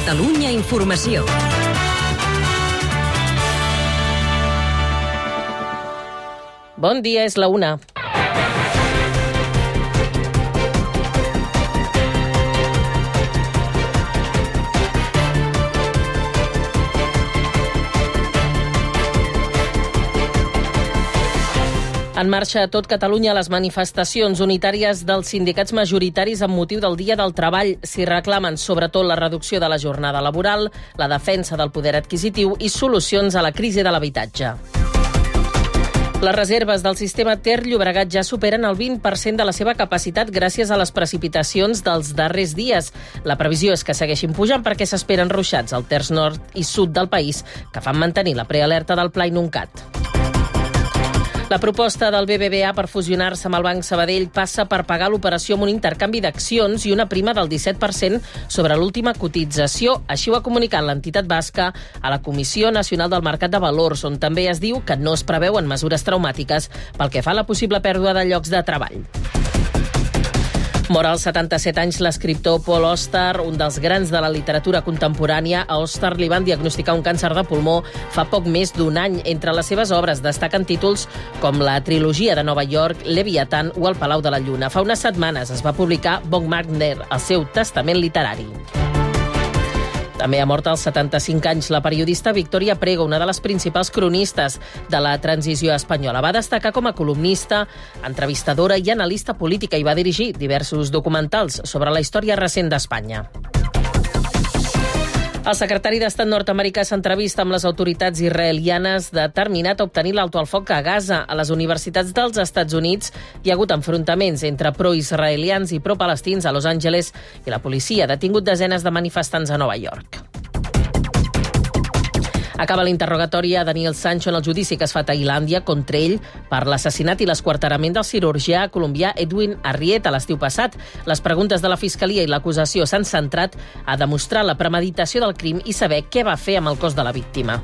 Catalunya Informació. Bon dia, és la 1. En marxa a tot Catalunya les manifestacions unitàries dels sindicats majoritaris amb motiu del Dia del Treball. S'hi reclamen sobretot la reducció de la jornada laboral, la defensa del poder adquisitiu i solucions a la crisi de l'habitatge. Les reserves del sistema Ter-Llobregat ja superen el 20% de la seva capacitat gràcies a les precipitacions dels darrers dies. La previsió és que segueixin pujant perquè s'esperen ruixats al terç nord i sud del país que fan mantenir la prealerta del Pla Inuncat. La proposta del BBVA per fusionar-se amb el Banc Sabadell passa per pagar l'operació amb un intercanvi d'accions i una prima del 17% sobre l'última cotització. Així ho ha comunicat l'entitat basca a la Comissió Nacional del Mercat de Valors, on també es diu que no es preveuen mesures traumàtiques pel que fa a la possible pèrdua de llocs de treball. Mor als 77 anys l'escriptor Paul Auster, un dels grans de la literatura contemporània. A Auster li van diagnosticar un càncer de pulmó fa poc més d'un any. Entre les seves obres destaquen títols com la trilogia de Nova York, Leviathan o El Palau de la Lluna. Fa unes setmanes es va publicar Baumgartner, el seu testament literari. També ha mort als 75 anys la periodista Victoria Prego, una de les principals cronistes de la transició espanyola. Va destacar com a columnista, entrevistadora i analista política i va dirigir diversos documentals sobre la història recent d'Espanya. El secretari d'Estat nord-americà s'entrevista amb les autoritats israelianes determinat a obtenir l'alto al foc a Gaza. A les universitats dels Estats Units hi ha hagut enfrontaments entre pro-israelians i pro-palestins a Los Angeles i la policia ha detingut desenes de manifestants a Nova York. Acaba l'interrogatori a Daniel Sancho en el judici que es fa a Tailàndia contra ell per l'assassinat i l'esquarterament del cirurgià colombià Edwin Arrieta l'estiu passat. Les preguntes de la Fiscalia i l'acusació s'han centrat a demostrar la premeditació del crim i saber què va fer amb el cos de la víctima.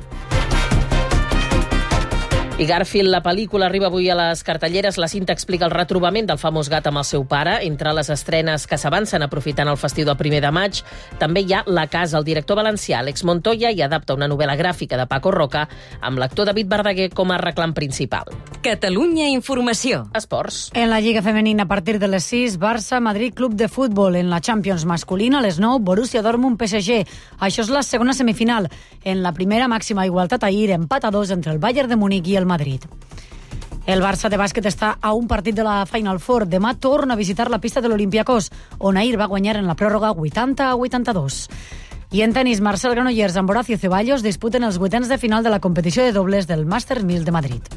I Garfield, la pel·lícula, arriba avui a les cartelleres. La cinta explica el retrobament del famós gat amb el seu pare. Entre les estrenes que s'avancen aprofitant el festiu del 1 de maig, també hi ha La casa. El director valencià Àlex Montoya hi adapta una novel·la gràfica de Paco Roca amb l'actor David Verdaguer com a reclam principal. Catalunya Informació. Esports. En la Lliga Femenina, a partir de les 6, Barça, Madrid, Club de Futbol. En la Champions masculina, a les 9, Borussia Dortmund, PSG. Això és la segona semifinal. En la primera, màxima igualtat ahir, empat a 2 entre el Bayern de Munic i el Madrid. El Barça de bàsquet està a un partit de la Final Four. Demà torna a visitar la pista de l'Olympiacos, on ahir va guanyar en la pròrroga 80-82. I en tenis, Marcel Granollers amb Horacio Ceballos disputen els vuitens de final de la competició de dobles del Masters 1000 de Madrid.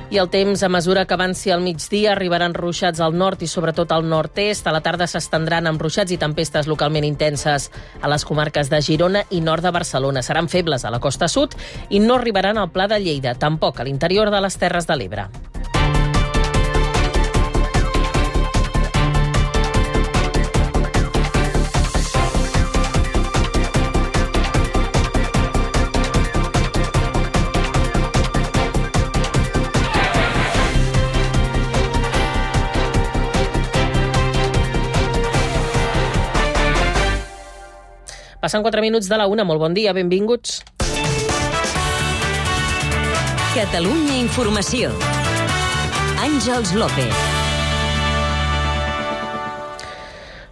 I el temps, a mesura que avanci al migdia, arribaran ruixats al nord i sobretot al nord-est. A la tarda s'estendran amb ruixats i tempestes localment intenses a les comarques de Girona i nord de Barcelona. Seran febles a la costa sud i no arribaran al Pla de Lleida, tampoc a l'interior de les Terres de l'Ebre. Passen 4 minuts de la 1. Molt bon dia, benvinguts. Catalunya Informació. Àngels López.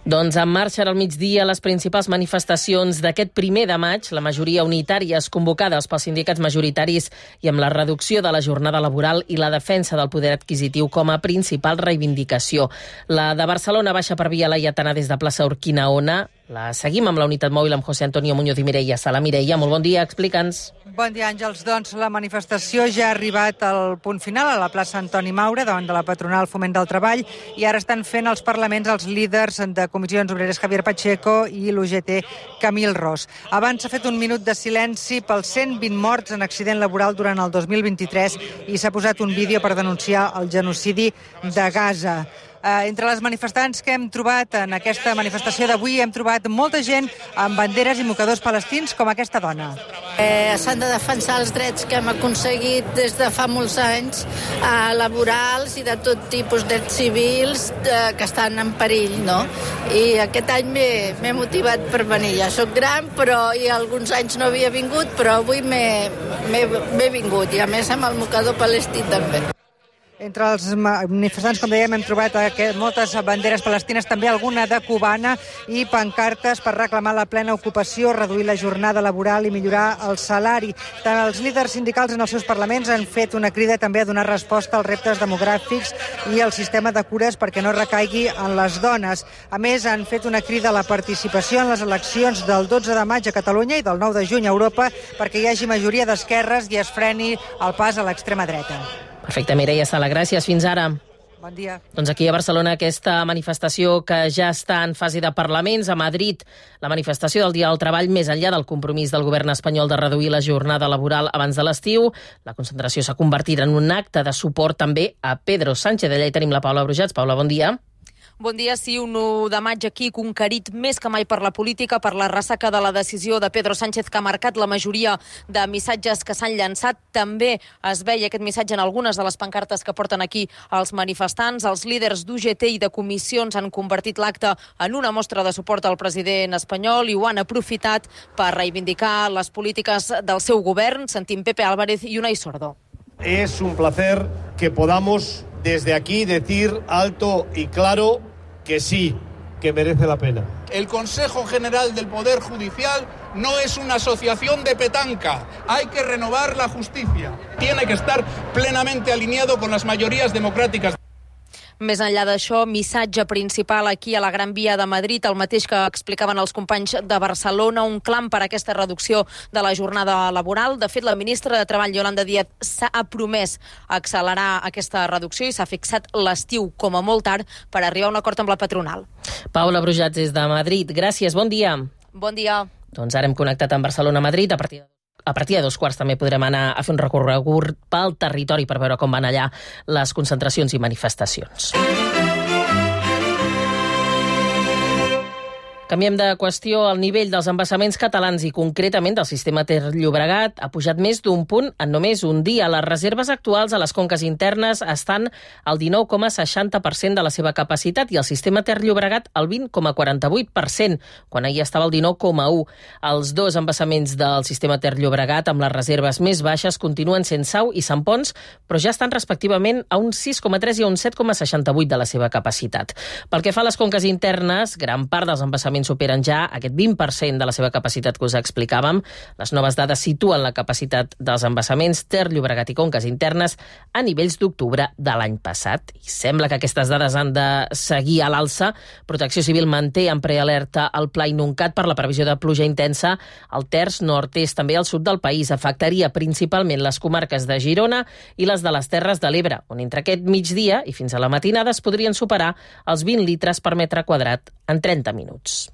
Doncs en marxa al migdia les principals manifestacions d'aquest 1 de maig, la majoria unitàries convocades pels sindicats majoritaris i amb la reducció de la jornada laboral i la defensa del poder adquisitiu com a principal reivindicació. La de Barcelona baixa per Via Laietana des de plaça Urquinaona. La seguim amb la unitat mòbil amb José Antonio Muñoz i Mireia Sala. Mireia, molt bon dia, explica'ns. Bon dia, Àngels. Doncs la manifestació ja ha arribat al punt final a la plaça Antoni Maura, davant de la patronal Foment del Treball, i ara estan fent els parlaments els líders de Comissions Obreres Javier Pacheco i l'UGT Camil Ros. Abans s'ha fet un minut de silenci pels 120 morts en accident laboral durant el 2023 i s'ha posat un vídeo per denunciar el genocidi de Gaza. Entre les manifestants que hem trobat en aquesta manifestació d'avui hem trobat molta gent amb banderes i mocadors palestins com aquesta dona. S'han de defensar els drets que hem aconseguit des de fa molts anys, laborals i de tot tipus, drets civils que estan en perill, no? I aquest any m'he motivat per venir. Ja soc gran, i alguns anys no havia vingut, però avui m'he vingut, i a més amb el mocador palestí també. Entre els manifestants, com dèiem, hem trobat moltes banderes palestines, també alguna de cubana, i pancartes per reclamar la plena ocupació, reduir la jornada laboral i millorar el salari. Tant els líders sindicals en els seus parlaments han fet una crida també a donar resposta als reptes demogràfics i al sistema de cures perquè no recaigui en les dones. A més, han fet una crida a la participació en les eleccions del 12 de maig a Catalunya i del 9 de juny a Europa perquè hi hagi majoria d'esquerres i es freni el pas a l'extrema dreta. Perfecte, Mireia Sala, gràcies. Fins ara. Bon dia. Doncs aquí a Barcelona aquesta manifestació que ja està en fase de parlaments. A Madrid, la manifestació del Dia del Treball més enllà del compromís del govern espanyol de reduir la jornada laboral abans de l'estiu. La concentració s'ha convertit en un acte de suport també a Pedro Sánchez. D'allà hi tenim la Paula Brujats. Paula, bon dia. Bon dia, sí, un 1 de maig aquí conquerit més que mai per la política, per la ressaca de la decisió de Pedro Sánchez que ha marcat la majoria de missatges que s'han llançat. També es veia aquest missatge en algunes de les pancartes que porten aquí els manifestants. Els líders d'UGT i de comissions han convertit l'acte en una mostra de suport al president espanyol i ho han aprofitat per reivindicar les polítiques del seu govern. Sentim Pepe Álvarez i Unai Sordo. Es un placer que podamos desde aquí decir alto y claro que sí, que merece la pena. El Consejo General del Poder Judicial no es una asociación de petanca. Hay que renovar la justicia. Tiene que estar plenamente alineado con las mayorías democráticas. Més enllà d'això, missatge principal aquí a la Gran Via de Madrid, el mateix que explicaven els companys de Barcelona, un clam per a aquesta reducció de la jornada laboral. De fet, la ministra de Treball, Yolanda Díaz, s'ha promès accelerar aquesta reducció i s'ha fixat l'estiu com a molt tard per arribar a un acord amb la patronal. Paula Brujats des de Madrid. Gràcies, bon dia. Bon dia. Doncs ara hem connectat amb Barcelona-Madrid. A partir de 2:15 també podrem anar a fer un recorregut pel territori per veure com van allà les concentracions i manifestacions. Canviem de qüestió. El nivell dels embassaments catalans i concretament del sistema Ter-Llobregat ha pujat més d'un punt en només un dia. Les reserves actuals a les conques internes estan al 19,60% de la seva capacitat i el sistema Ter-Llobregat al 20,48%, quan ahir estava al 19,1%. Els dos embassaments del sistema Ter-Llobregat amb les reserves més baixes continuen sent Sau i Sant Ponç, però ja estan respectivament a un 6,3 i a un 7,68% de la seva capacitat. Pel que fa a les conques internes, gran part dels embassaments superen ja aquest 20% de la seva capacitat que us explicàvem. Les noves dades situen la capacitat dels embassaments Ter-Llobregat i conques internes a nivells d'octubre de l'any passat. I sembla que aquestes dades han de seguir a l'alça. Protecció Civil manté en prealerta el Pla Inuncat per la previsió de pluja intensa al terç nord-est, també al sud del país. Afectaria principalment les comarques de Girona i les de les Terres de l'Ebre, on entre aquest migdia i fins a la matinada es podrien superar els 20 litres per metre quadrat en 30 minuts.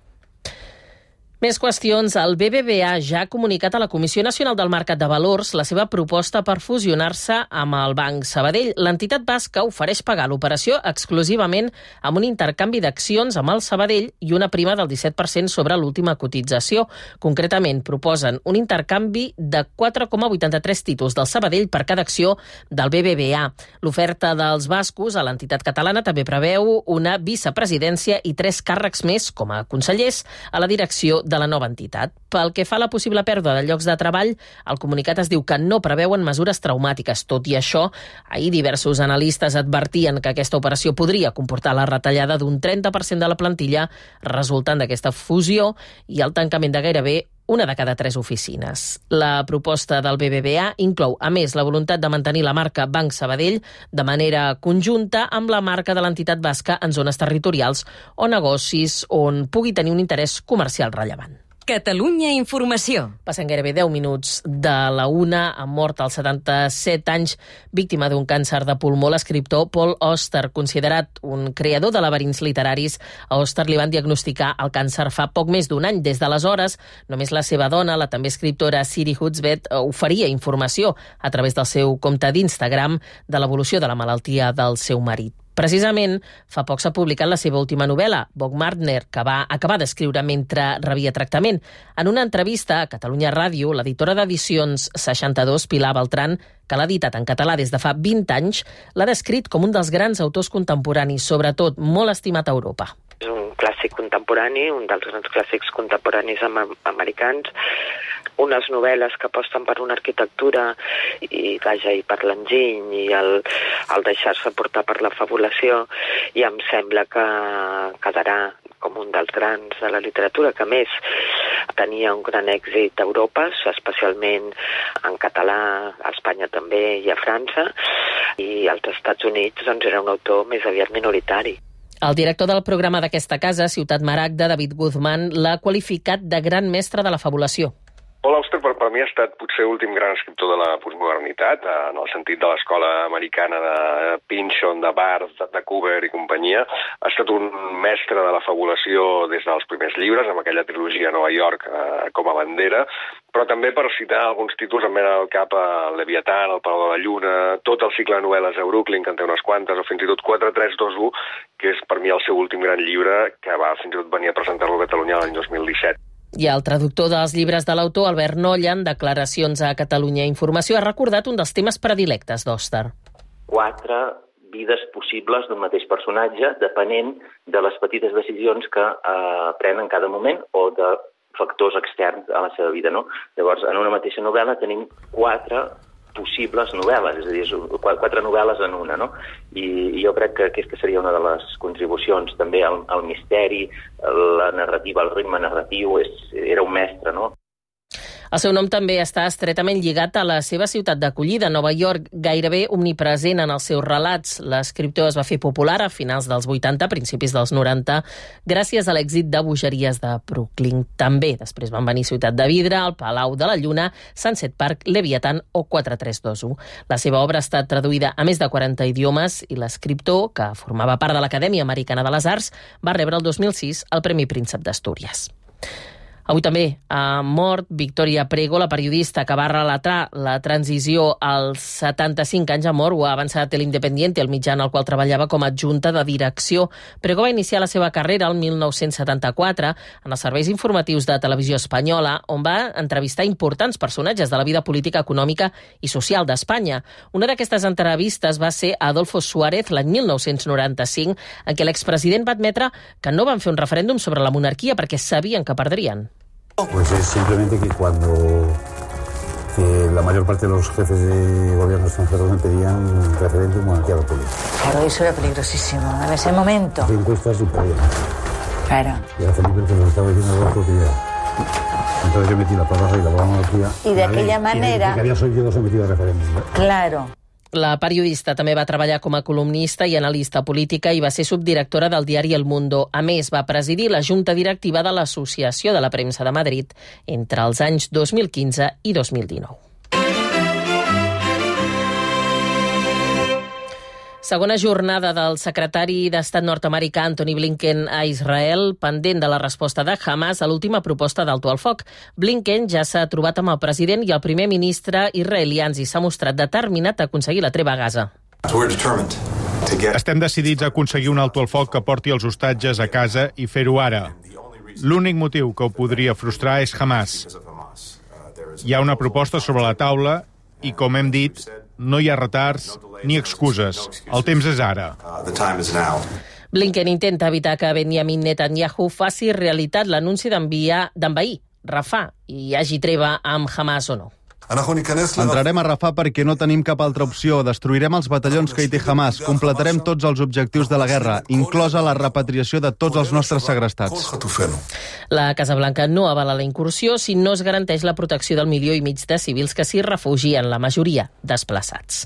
Més qüestions. El BBVA ja ha comunicat a la Comissió Nacional del Mercat de Valors la seva proposta per fusionar-se amb el Banc Sabadell. L'entitat basca ofereix pagar l'operació exclusivament amb un intercanvi d'accions amb el Sabadell i una prima del 17% sobre l'última cotització. Concretament, proposen un intercanvi de 4,83 títols del Sabadell per cada acció del BBVA. L'oferta dels bascos a l'entitat catalana també preveu una vicepresidència i 3 càrrecs més com a consellers a la direcció de la nova entitat. Pel que fa a la possible pèrdua de llocs de treball, el comunicat es diu que no preveuen mesures traumàtiques. Tot i això, ahir diversos analistes advertien que aquesta operació podria comportar la retallada d'un 30% de la plantilla resultant d'aquesta fusió i el tancament de gairebé una de cada 3 oficines. La proposta del BBVA inclou, a més, la voluntat de mantenir la marca Banc Sabadell de manera conjunta amb la marca de l'entitat basca en zones territorials o negocis on pugui tenir un interès comercial rellevant. Catalunya Informació. Passen gairebé 10 minuts de la 1. Ha mort als 77 anys, víctima d'un càncer de pulmó, l'escriptor Paul Auster, considerat un creador de laberints literaris. A Auster li van diagnosticar el càncer fa poc més d'un any. Des d'aleshores, només la seva dona, la també escriptora Siri Huzbeth, oferia informació a través del seu compte d'Instagram de l'evolució de la malaltia del seu marit. Precisament, fa poc s'ha publicat la seva última novel·la, Bogmartner, que va acabar d'escriure mentre rebia tractament. En una entrevista a Catalunya Ràdio, l'editora d'edicions 62, Pilar Beltran, que l'ha editat en català des de fa 20 anys, l'ha descrit com un dels grans autors contemporanis, sobretot molt estimat a Europa. És un clàssic contemporani, un dels grans clàssics contemporanis americans, unes novel·les que aposten per una arquitectura i per l'enginy i el deixar-se portar per la fabulació, i em sembla que quedarà com un dels grans de la literatura, que a més tenia un gran èxit a Europa, especialment en català, a Espanya també i a França, i als Estats Units doncs, era un autor més aviat minoritari. El director del programa d'aquesta casa, Ciutat Maragda, David Guzmán, l'ha qualificat de gran mestre de la fabulació. Paul Auster per mi ha estat potser l'últim gran escriptor de la postmodernitat, en el sentit de l'escola americana de Pynchon, de Barth, de Cooper i companyia. Ha estat un mestre de la fabulació des dels primers llibres, amb aquella trilogia a Nova York com a bandera, però també per citar alguns títols em venen al cap el Leviatán, el Palau de la Lluna, tot el cicle de novel·les de Brooklyn, que en té unes quantes, o fins i tot 4321, que és per mi el seu últim gran llibre, que va fins i tot venir a presentar-lo a Catalunya l'any 2017. I el traductor dels llibres de l'autor, Albert Nolla, en declaracions a Catalunya Informació, ha recordat un dels temes predilectes d'Auster. 4 vides possibles d'un mateix personatge, depenent de les petites decisions que pren en cada moment o de factors externs a la seva vida, no? Llavors, en una mateixa novel·la tenim 4 possibles novel·les, és a dir, 4 novel·les en una, no? I jo crec que aquesta seria una de les contribucions, també al misteri, la narrativa, el ritme narratiu, era un mestre, no? El seu nom també està estretament lligat a la seva ciutat d'acollida, Nova York, gairebé omnipresent en els seus relats. L'escriptor es va fer popular a finals dels 80, principis dels 90, gràcies a l'èxit de bogeries de Brooklyn. També després van venir Ciutat de Vidre, el Palau de la Lluna, Sunset Park, Leviatán o 4321. La seva obra ha estat traduïda a més de 40 idiomes i l'escriptor, que formava part de l'Acadèmia Americana de les Arts, va rebre el 2006 el Premi Príncep d'Astúries. Avui també ha mort Victoria Prego, la periodista que va relatar la transició als 75 anys. Ha mort, ho ha avançat l'Independiente, el mitjà en el qual treballava com a adjunta de direcció. Prego va iniciar la seva carrera el 1974 en els serveis informatius de Televisió Espanyola, on va entrevistar importants personatges de la vida política, econòmica i social d'Espanya. Una d'aquestes entrevistes va ser a Adolfo Suárez l'any 1995, en què l'expresident va admetre que no van fer un referèndum sobre la monarquia perquè sabien que perdrien. Pues es simplemente que la mayor parte de los jefes de gobierno extranjeros me pedían un referéndum monarquía república. Claro, eso era peligrosísimo en ese momento. Las encuestas sin poder. Claro. Y a Felipe que nos estaba diciendo algo que ya. Entonces yo metí la palabra y la monarquía. Y de aquella manera. Que había sido sometido a referéndum. Claro. La periodista també va treballar com a columnista i analista política i va ser subdirectora del diari El Mundo. A més, va presidir la junta directiva de l'Associació de la Premsa de Madrid entre els anys 2015 i 2019. Segona jornada del secretari d'Estat nord-americà Antony Blinken a Israel, pendent de la resposta de Hamas a l'última proposta d'alto al foc. Blinken ja s'ha trobat amb el president i el primer ministre israelians i s'ha mostrat determinat a aconseguir la treva a Gaza. Estem decidits a aconseguir un alto al foc que porti els hostatges a casa i fer-ho ara. L'únic motiu que ho podria frustrar és Hamas. Hi ha una proposta sobre la taula i, com hem dit, no hi ha retards ni excuses. El temps és ara. Blinken intenta evitar que Benjamin Netanyahu faci realitat l'anunci d'envair Rafah i hi hagi treva amb Hamas o no. Entrarem a Rafah perquè no tenim cap altra opció. Destruirem els batallons que hi té Hamas. Completarem tots els objectius de la guerra, inclosa la repatriació de tots els nostres segrestats. La Casa Blanca no avala la incursió si no es garanteix la protecció del 1,5 milió de civils que s'hi refugien, la majoria desplaçats.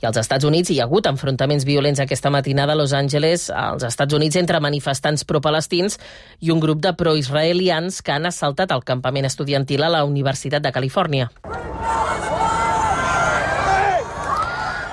I als Estats Units hi ha hagut enfrontaments violents aquesta matinada a Los Angeles, als Estats Units, entre manifestants pro-palestins i un grup de pro-israelians que han assaltat el campament estudiantil a la Universitat de Califòrnia.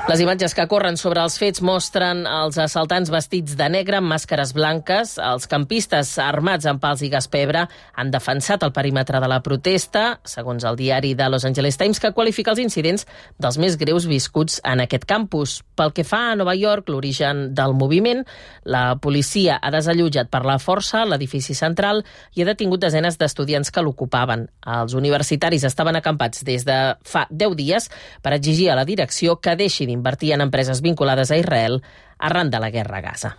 Les imatges que corren sobre els fets mostren els assaltants vestits de negre amb màscares blanques. Els campistes armats amb pals i gas pebre han defensat el perímetre de la protesta, segons el diari de Los Angeles Times, que qualifica els incidents dels més greus viscuts en aquest campus. Pel que fa a Nova York, l'origen del moviment, la policia ha desallotjat per la força l'edifici central i ha detingut desenes d'estudiants que l'ocupaven. Els universitaris estaven acampats des de fa 10 dies per exigir a la direcció que deixi d'invertir en empreses vinculades a Israel arran de la guerra a Gaza.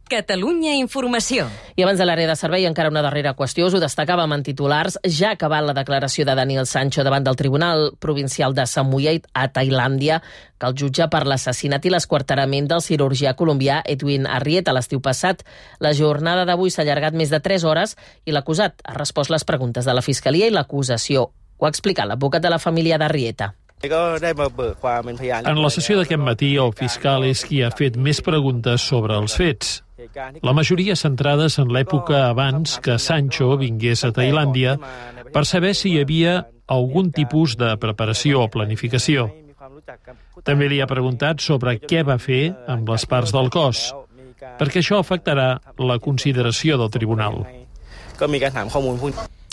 Catalunya Informació. I abans de l'àrea de servei, encara una darrera qüestió. Us ho destacàvem en titulars. Ja ha acabat la declaració de Daniel Sancho davant del Tribunal Provincial de Samui a Tailàndia, que el jutja per l'assassinat i l'esquarterament del cirurgià colombià Edwin Arrieta l'estiu passat. La jornada d'avui s'ha allargat més de 3 hores i l'acusat ha respost les preguntes de la Fiscalia i l'acusació. Ho ha explicat l'advocat de la família d'Arrieta. En la sessió d'aquest matí, el fiscal és qui ha fet més preguntes sobre els fets. La majoria centrades en l'època abans que Sancho vingués a Tailàndia per saber si hi havia algun tipus de preparació o planificació. També li ha preguntat sobre què va fer amb les parts del cos, perquè això afectarà la consideració del tribunal.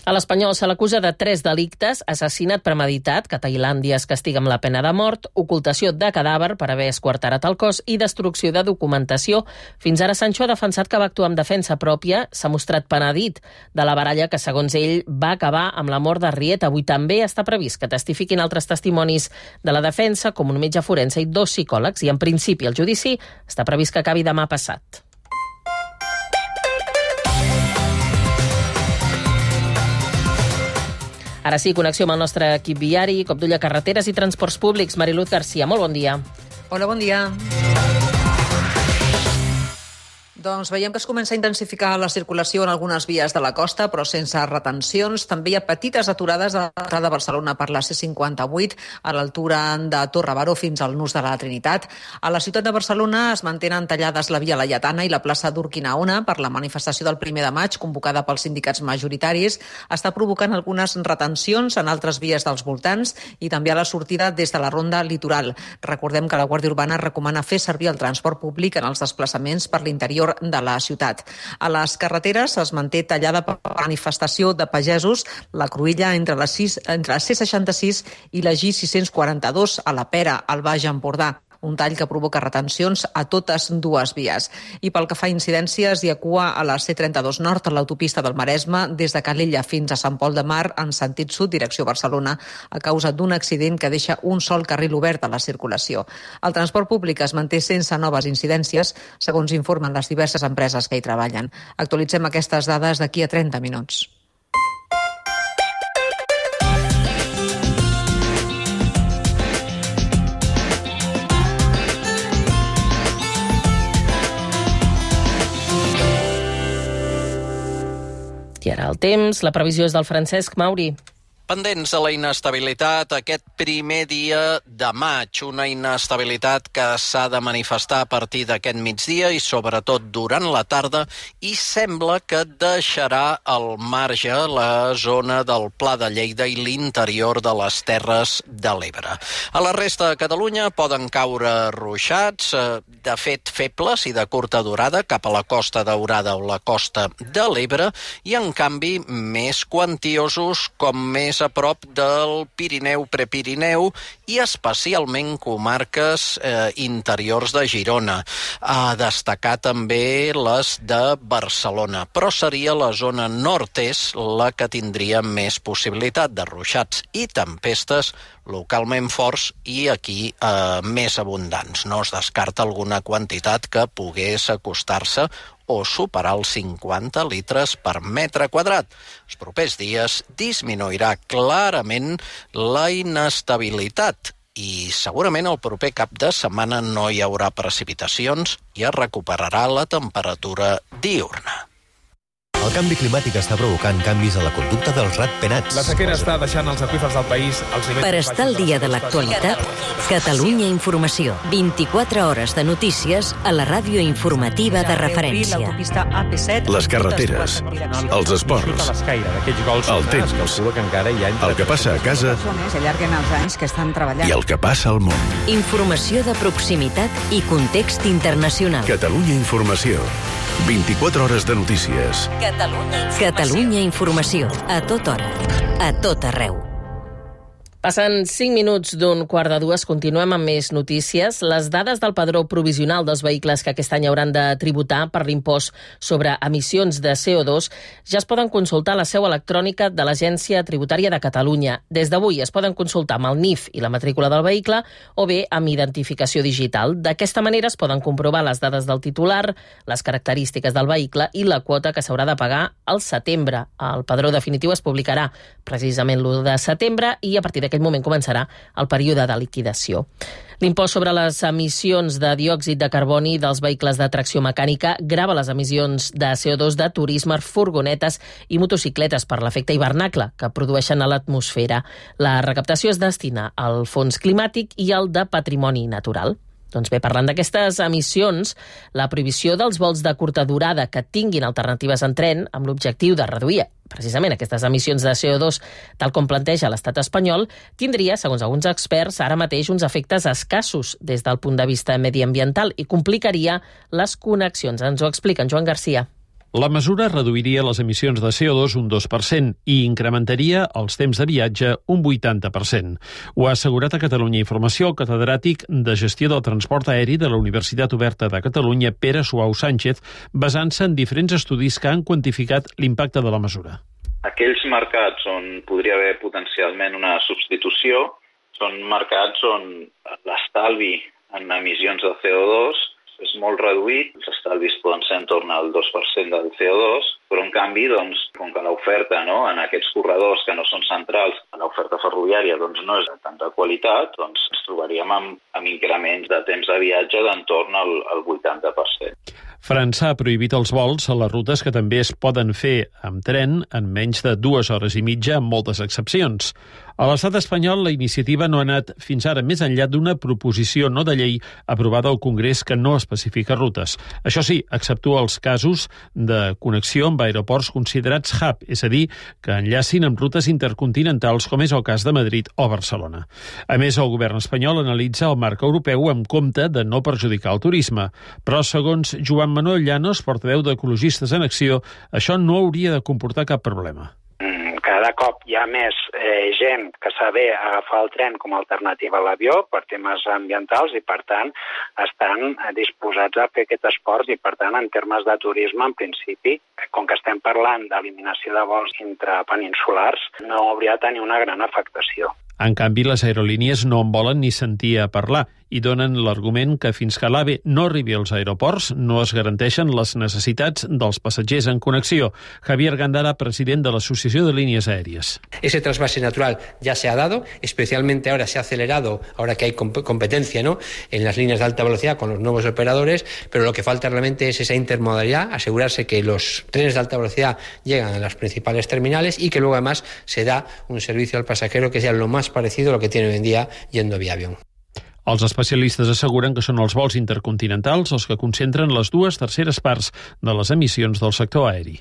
A l'Espanyol se l'acusa de 3 delictes: assassinat premeditat, que a Tailàndia es castiga amb la pena de mort, ocultació de cadàver per haver esquarterat el cos i destrucció de documentació. Fins ara Sancho ha defensat que va actuar amb defensa pròpia, s'ha mostrat penedit de la baralla que, segons ell, va acabar amb la mort d'Arrieta. Avui també està previst que testifiquin altres testimonis de la defensa, com un metge forense i 2 psicòlegs, i en principi el judici està previst que acabi demà passat. Ara sí, connexió amb el nostre equip viari, cop d'ull a carreteres i transports públics. Mariluz Garcia, molt bon dia. Hola, bon dia. Doncs veiem que es comença a intensificar la circulació en algunes vies de la costa, però sense retencions. També hi ha petites aturades a l'entrada de Barcelona per la C58, a l'altura de Torre Baró fins al Nus de la Trinitat. A la ciutat de Barcelona es mantenen tallades la via Laietana i la plaça d'Urquinaona per la manifestació del 1 de maig, convocada pels sindicats majoritaris. Està provocant algunes retencions en altres vies dels voltants i també a la sortida des de la ronda litoral. Recordem que la Guàrdia Urbana recomana fer servir el transport públic en els desplaçaments per l'interior de la ciutat. A les carreteres es manté tallada per manifestació de pagesos la cruïlla entre la C66 i la G642 a la Pera, al Baix Empordà. Un tall que provoca retencions a totes dues vies. I pel que fa a incidències, hi ha cua a la C32 Nord, a l'autopista del Maresme, des de Calella fins a Sant Pol de Mar, en sentit sud, direcció Barcelona, a causa d'un accident que deixa un sol carril obert a la circulació. El transport públic es manté sense noves incidències, segons informen les diverses empreses que hi treballen. Actualitzem aquestes dades d'aquí a 30 minuts. I ara el temps, la previsió és del Francesc Mauri. Pendents a la inestabilitat aquest primer dia de maig, una inestabilitat que s'ha de manifestar a partir d'aquest migdia i sobretot durant la tarda, i sembla que deixarà al marge la zona del Pla de Lleida i l'interior de les Terres de l'Ebre. A la resta de Catalunya poden caure ruixats, de fet febles i de curta durada, cap a la Costa Daurada o la Costa de l'Ebre, i en canvi més quantiosos, com més a prop del Pirineu, Prepirineu i especialment comarques interiors de Girona. A destacar també les de Barcelona, però seria la zona nord-est la que tindria més possibilitat de ruixats i tempestes localment forts i aquí més abundants. No es descarta alguna quantitat que pogués acostar-se o superar els 50 litres per metre quadrat. Els propers dies disminuirà clarament la inestabilitat i segurament el proper cap de setmana no hi haurà precipitacions i es recuperarà la temperatura diürna. El canvi climàtic està provocant canvis a la conducta dels ratpenats. La sequera està deixant els aqüífers del país als nivells... Per estar al dia de l'actualitat, Catalunya Informació. 24 hores de notícies a la ràdio informativa de referència. Les carreteres, els esports, el temps, el que passa a casa i el que passa al món. Informació de proximitat i context internacional. Catalunya Informació. 24 hores de notícies. Catalunya Informació. A tota hora. A tot arreu. Passen 5 minuts d'un 1:45, continuem amb més notícies. Les dades del padró provisional dels vehicles que aquest any hauran de tributar per l'impost sobre emissions de CO2 ja es poden consultar a la seu electrònica de l'Agència Tributària de Catalunya. Des d'avui es poden consultar amb el NIF i la matrícula del vehicle o bé amb identificació digital. D'aquesta manera es poden comprovar les dades del titular, les característiques del vehicle i la quota que s'haurà de pagar al setembre. El padró definitiu es publicarà precisament l'1 de setembre i a partir d'aquest moment començarà el període de liquidació. L'impost sobre les emissions de diòxid de carboni dels vehicles de tracció mecànica grava les emissions de CO2 de turisme, furgonetes i motocicletes per l'efecte hivernacle que produeixen a l'atmosfera. La recaptació es destina al fons climàtic i al de patrimoni natural. Doncs bé, parlant d'aquestes emissions, la prohibició dels vols de curta durada que tinguin alternatives en tren amb l'objectiu de reduir precisament aquestes emissions de CO2, tal com planteja l'estat espanyol, tindria, segons alguns experts, ara mateix uns efectes escassos des del punt de vista mediambiental i complicaria les connexions. Ens ho explica en Joan Garcia. La mesura reduiria les emissions de CO2 un 2% i incrementaria els temps de viatge un 80%. Ho ha assegurat a Catalunya Informació el catedràtic de Gestió del Transport Aeri de la Universitat Oberta de Catalunya, Pere Suau Sánchez, basant-se en diferents estudis que han quantificat l'impacte de la mesura. Aquells mercats on podria haver potencialment una substitució són mercats on l'estalvi en emissions de CO2 és molt reduït, els estalvis poden ser en torn al 2% del CO2, però en canvi, doncs, com que l'oferta en aquests corredors que no són centrals, l'oferta ferroviària no és de tanta qualitat, doncs ens trobaríem amb increments de temps de viatge d'entorn al 80%. França ha prohibit els vols a les rutes que també es poden fer amb tren en menys de 2 hores i mitja amb moltes excepcions. A l'estat espanyol, la iniciativa no ha anat fins ara més enllà d'una proposició no de llei aprovada al Congrés que no especifica rutes. Això sí, exceptua els casos de connexió amb aeroports considerats hub, és a dir, que enllacin amb rutes intercontinentals, com és el cas de Madrid o Barcelona. A més, el govern espanyol analitza el marc europeu amb compte de no perjudicar el turisme. Però, segons Joan Manuel Llanos, portaveu d'Ecologistes en Acció, això no hauria de comportar cap problema. Cada cop hi ha més gent que saber agafar el tren com a alternativa a l'avió per temes ambientals i, per tant, estan disposats a fer aquest esport i, per tant, en termes de turisme, en principi, com que estem parlant d'eliminació de vols intrapeninsulars, no hauria de tenir una gran afectació. En canvi, les aerolínies no en volen ni sentir a parlar i donen l'argument que fins que l'AVE no arribi als aeroports no es garanteixen les necessitats dels passatgers en connexió. Javier Gándara, president de l'Associació de Línies Aèries. Ese trasvase natural ya se ha dado, especialmente ahora se ha acelerado, ahora que hay competencia, ¿no?, en las líneas de alta velocidad con los nuevos operadores, pero lo que falta realmente es esa intermodalidad, asegurarse que los trenes de alta velocidad llegan a las principales terminales y que luego además se da un servicio al pasajero que sea lo más parecido a lo que tiene hoy en día yendo vía avión. Els especialistes asseguren que són els vols intercontinentals els que concentren les 2/3 parts de les emissions del sector aeri.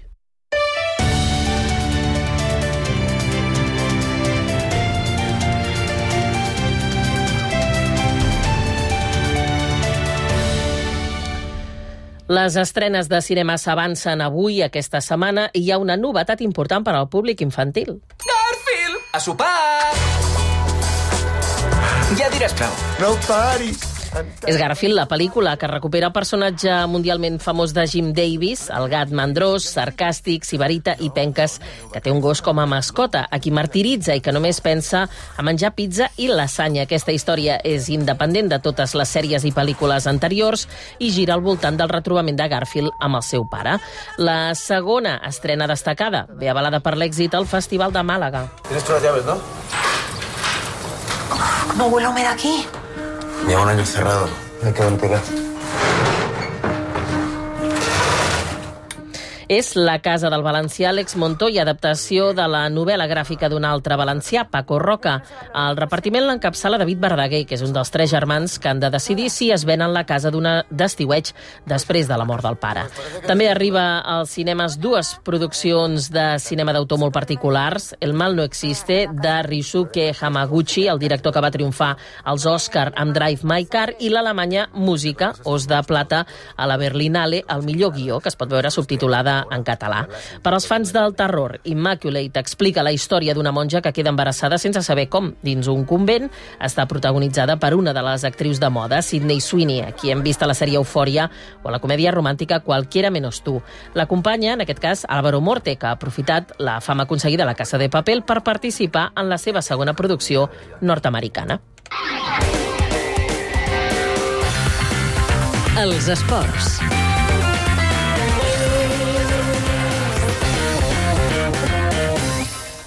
Les estrenes de cinema s'avancen avui, aquesta setmana, i hi ha una novetat important per al públic infantil. Garfield! A sopar! Ja diràs prou. No paris! És Garfield, la pel·lícula que recupera el personatge mundialment famós de Jim Davis, el gat mandrós, sarcàstic, sibarita i penques, que té un gos com a mascota, a qui martiritza i que només pensa a menjar pizza i lasanya. Aquesta història és independent de totes les sèries i pel·lícules anteriors i gira al voltant del retrobament de Garfield amb el seu pare. La segona estrena destacada ve avalada per l'èxit al Festival de Màlaga. Tienes todas las llaves, ¿no? ¿No huele húmedo aquí? Lleva un año cerrado. Hay que ventilar. És La casa del valencià Àlex Montoya, adaptació de la novel·la gràfica d'un altre valencià, Paco Roca. El repartiment l'encapçala David Verdaguer, que és un dels 3 germans que han de decidir si es venen la casa d'estiueig després de la mort del pare. També arriba als cinemes 2 produccions de cinema d'autor molt particulars. El mal no existe, de Ryusuke Hamaguchi, el director que va triomfar als Oscar amb Drive My Car, i l'alemanya Música, Os de Plata, a la Berlinale, el millor guió, que es pot veure subtitulada en català. Per als fans del terror, Immaculate explica la història d'una monja que queda embarassada sense saber com dins un convent. Està protagonitzada per una de les actrius de moda, Sydney Sweeney, a qui hem vist a la sèrie Eufòria o a la comèdia romàntica Cualquiera menos tú. L'acompanya, en aquest cas, Álvaro Morte, que ha aprofitat la fama aconseguida a La Casa de Papel per participar en la seva segona producció nord-americana. Els esports.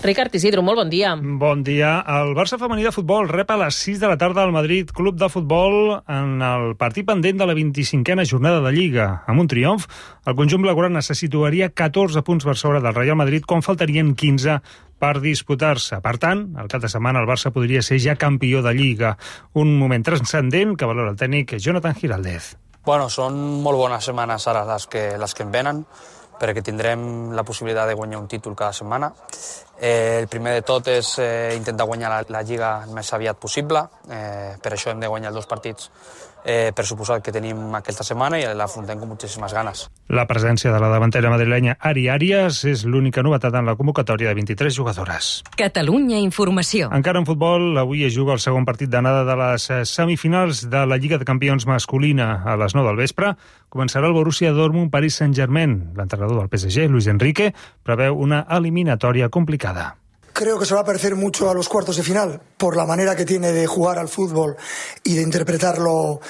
Ricard Isidro, molt bon dia. Bon dia. El Barça femení de futbol rep a les 6 de la tarda al Madrid Club de Futbol en el partit pendent de la 25a jornada de Lliga. Amb un triomf, el conjunt blaugrana se situaria 14 punts per sobre del Real Madrid, quan faltarien 15 per disputar-se. Per tant, el cap de setmana el Barça podria ser ja campió de Lliga. Un moment transcendent que valora el tècnic Jonathan Giraldez. Bueno, són molt bones setmanes ara les que em venen, perquè tindrem la possibilitat de guanyar un títol cada setmana. El primer de tot és intentar guanyar la Lliga el més aviat possible. Per això hem de guanyar els 2 partits per suposat que tenim aquesta setmana i l'afrontem amb moltíssimes ganes. La presència de la davantera madrilenya Ari Arias és l'única novetat en la convocatòria de 23 jugadores. Catalunya Informació. Encara en futbol, avui es juga el segon partit d'anada de les semifinals de la Lliga de Campions masculina a les 9 del vespre. Començarà el Borussia Dortmund-Paris Saint-Germain. L'entrenador del PSG, Luis Enrique, preveu una eliminatòria complicada. Creo que se va a parecer mucho a los cuartos de final por la manera que tiene de jugar al fútbol y de interpretarlo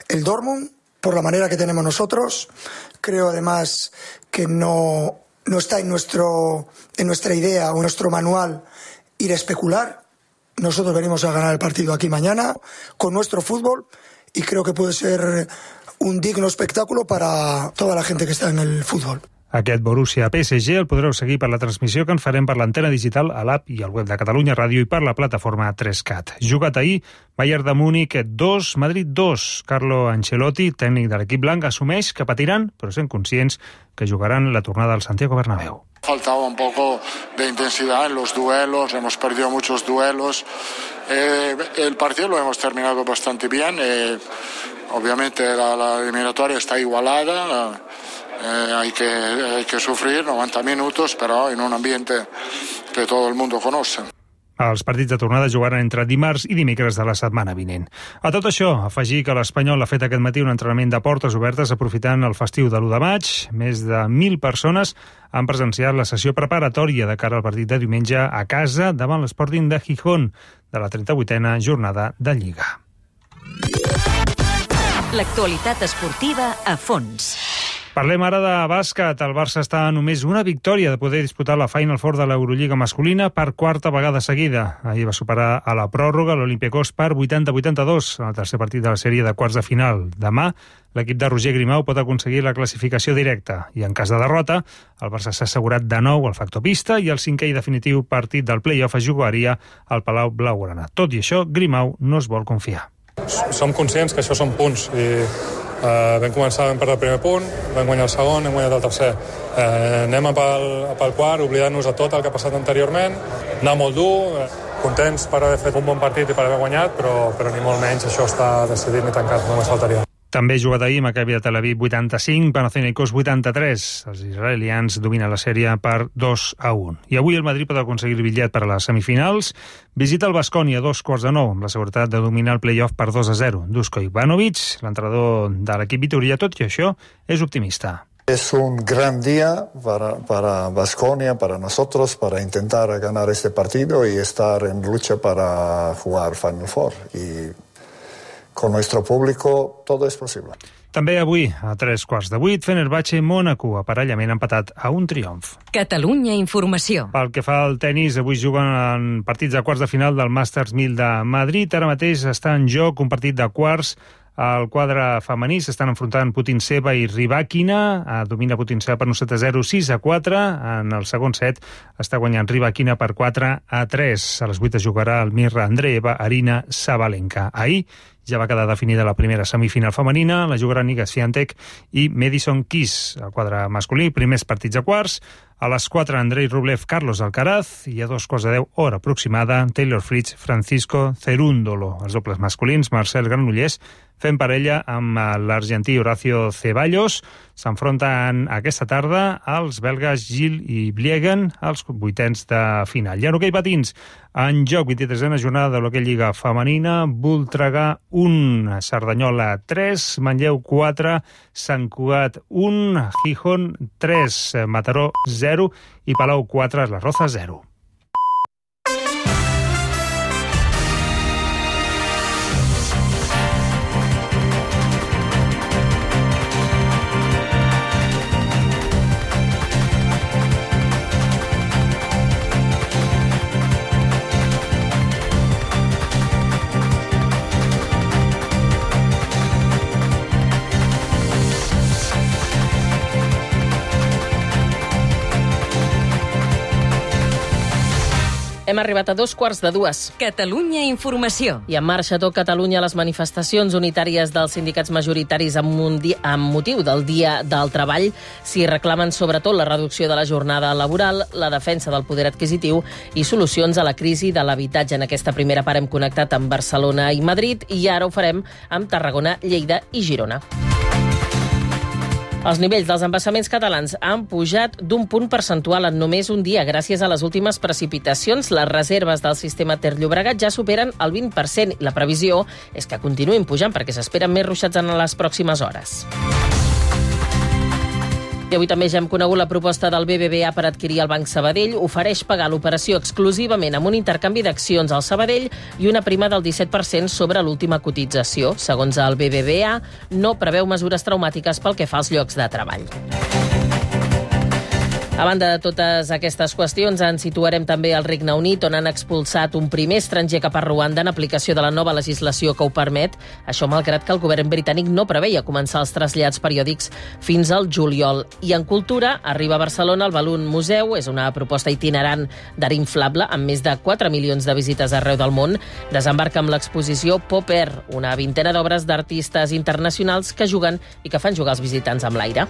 el Dortmund, por la manera que tenemos nosotros. Creo además que no está en nuestra idea o en nuestro manual ir a especular. Nosotros venimos a ganar el partido aquí mañana con nuestro fútbol y creo que puede ser un digno espectáculo para toda la gente que está en el fútbol. Aquest Borussia-PSG el podreu seguir per la transmissió que en farem per l'antena digital a l'app i al web de Catalunya Ràdio i per la plataforma 3CAT. Jugat ahir, Bayern de Múnich 2, Madrid 2. Carlo Ancelotti, tècnic de l'equip blanc, assumeix que patiran, però sent conscients que jugaran la tornada al Santiago Bernabéu. Faltaba un poco de intensidad en los duelos, hemos perdido muchos duelos. El partido lo hemos terminado bastante bien. Obviamente la eliminatoria está igualada. Hay que sufrir 90 minutos, però en un ambiente que todo el mundo conoce. Els partits de tornada jugaran entre dimarts i dimecres de la setmana vinent. A tot això, afegir que l'Espanyol ha fet aquest matí un entrenament de portes obertes aprofitant el festiu de l'1 de maig. Més de 1.000 persones han presenciat la sessió preparatòria de cara al partit de diumenge a casa davant l'Sporting de Gijón de la 38a jornada de Lliga. L'actualitat esportiva a fons. Parlem ara de bàsquet. El Barça està a només una victòria de poder disputar la Final Four de l'Eurolliga masculina per 4a vegada seguida. Ahir va superar a la pròrroga l'Olympiacos per 80-82 en el tercer partit de la sèrie de quarts de final. Demà, l'equip de Roger Grimau pot aconseguir la classificació directa i, en cas de derrota, el Barça s'ha assegurat de nou el factor pista i el 5è i definitiu partit del play-off es jugaria al Palau Blaugrana. Tot i això, Grimau no es vol confiar. Som conscients que això són punts i vam començar, vam perdre el primer punt, vam guanyar el segon, hem guanyat el tercer. Anem pel quart, oblidant-nos de tot el que ha passat anteriorment, anar molt dur, contents per haver fet un bon partit i per haver guanyat, però ni molt menys això està decidit ni tancat, només faltaria. També jugat ahir Maccabi de Tel Aviv 85, Panathinaikos 83. Els israelians dominen la sèrie per 2-1. I avui el Madrid pot aconseguir el bitllet per a les semifinals. Visita el Baskonia a 8:45, amb la seguretat de dominar el play-off per 2-0. Dusko Ivanovic, l'entrenador de l'equip vitoria, tot i això, és optimista. Es un gran día para Baskonia, para nosotros, para intentar ganar este partido y estar en lucha para jugar Final Four. Y con nuestro público todo es posible. També avui, a 7:15, Fenerbahçe-Mónaco, aparellament empatat a un triomf. Catalunya Informació. Pel que fa al tennis, avui juguen en partits de quarts de final del Masters 1000 de Madrid. Ara mateix està en joc un partit de quarts Al quadre femení s'estan enfrontant Putintseva i Rybakina. Domina Putintseva per un 7-0, 6-4. En el segon set està guanyant Rybakina per 4-3. A les 8 es jugarà el Mirra Andreeva, Arina Sabalenka. Ahir ja va quedar definida la primera semifinal femenina, la jugaran Iga Swiatek i Madison Keys. El quadre masculí, primers partits a quarts. A les 4, Andrei Rublev, Carlos Alcaraz, i a 2:10, hora aproximada, Taylor Fritz, Francisco Cerúndolo. Els dobles masculins, Marcel Granollers fent parella amb l'argentí Horacio Ceballos. S'enfronten aquesta tarda els belgues Gil i Bliegen als vuitens de final. I en hoquei patins, en joc 23a jornada de l'hoquei Lliga Femenina, Voltregà 1, Cerdanyola 3, Manlleu 4, Sant Cugat 1, Gijón 3, Mataró 0 i Palau 4, Les Rozas 0. Hem arribat a 2:15. Catalunya Informació. I en marxa tot Catalunya les manifestacions unitàries dels sindicats majoritaris amb motiu del Dia del Treball. S'hi reclamen sobretot la reducció de la jornada laboral, la defensa del poder adquisitiu i solucions a la crisi de l'habitatge. En aquesta primera part hem connectat amb Barcelona i Madrid i ara ho farem amb Tarragona, Lleida i Girona. Els nivells dels embassaments catalans han pujat d'un punt percentual en només un dia. Gràcies a les últimes precipitacions, les reserves del sistema Ter-Llobregat ja superen el 20%. La previsió és que continuïn pujant perquè s'esperen més ruixats en les pròximes hores. I avui també ja hem conegut la proposta del BBVA per adquirir el Banc Sabadell. Ofereix pagar l'operació exclusivament amb un intercanvi d'accions al Sabadell i una prima del 17% sobre l'última cotització. Segons el BBVA, no preveu mesures traumàtiques pel que fa als llocs de treball. A banda de totes aquestes qüestions, ens situarem també al Regne Unit, on han expulsat un primer estranger cap a Ruanda en aplicació de la nova legislació que ho permet. Això malgrat que el govern britànic no preveia començar els trasllats periòdics fins al juliol. I en cultura, arriba a Barcelona el Balloon Museu. És una proposta itinerant d'art inflable amb més de 4 milions de visites arreu del món. Desembarca amb l'exposició Pop Air, una vintena d'obres d'artistes internacionals que juguen i que fan jugar els visitants amb l'aire.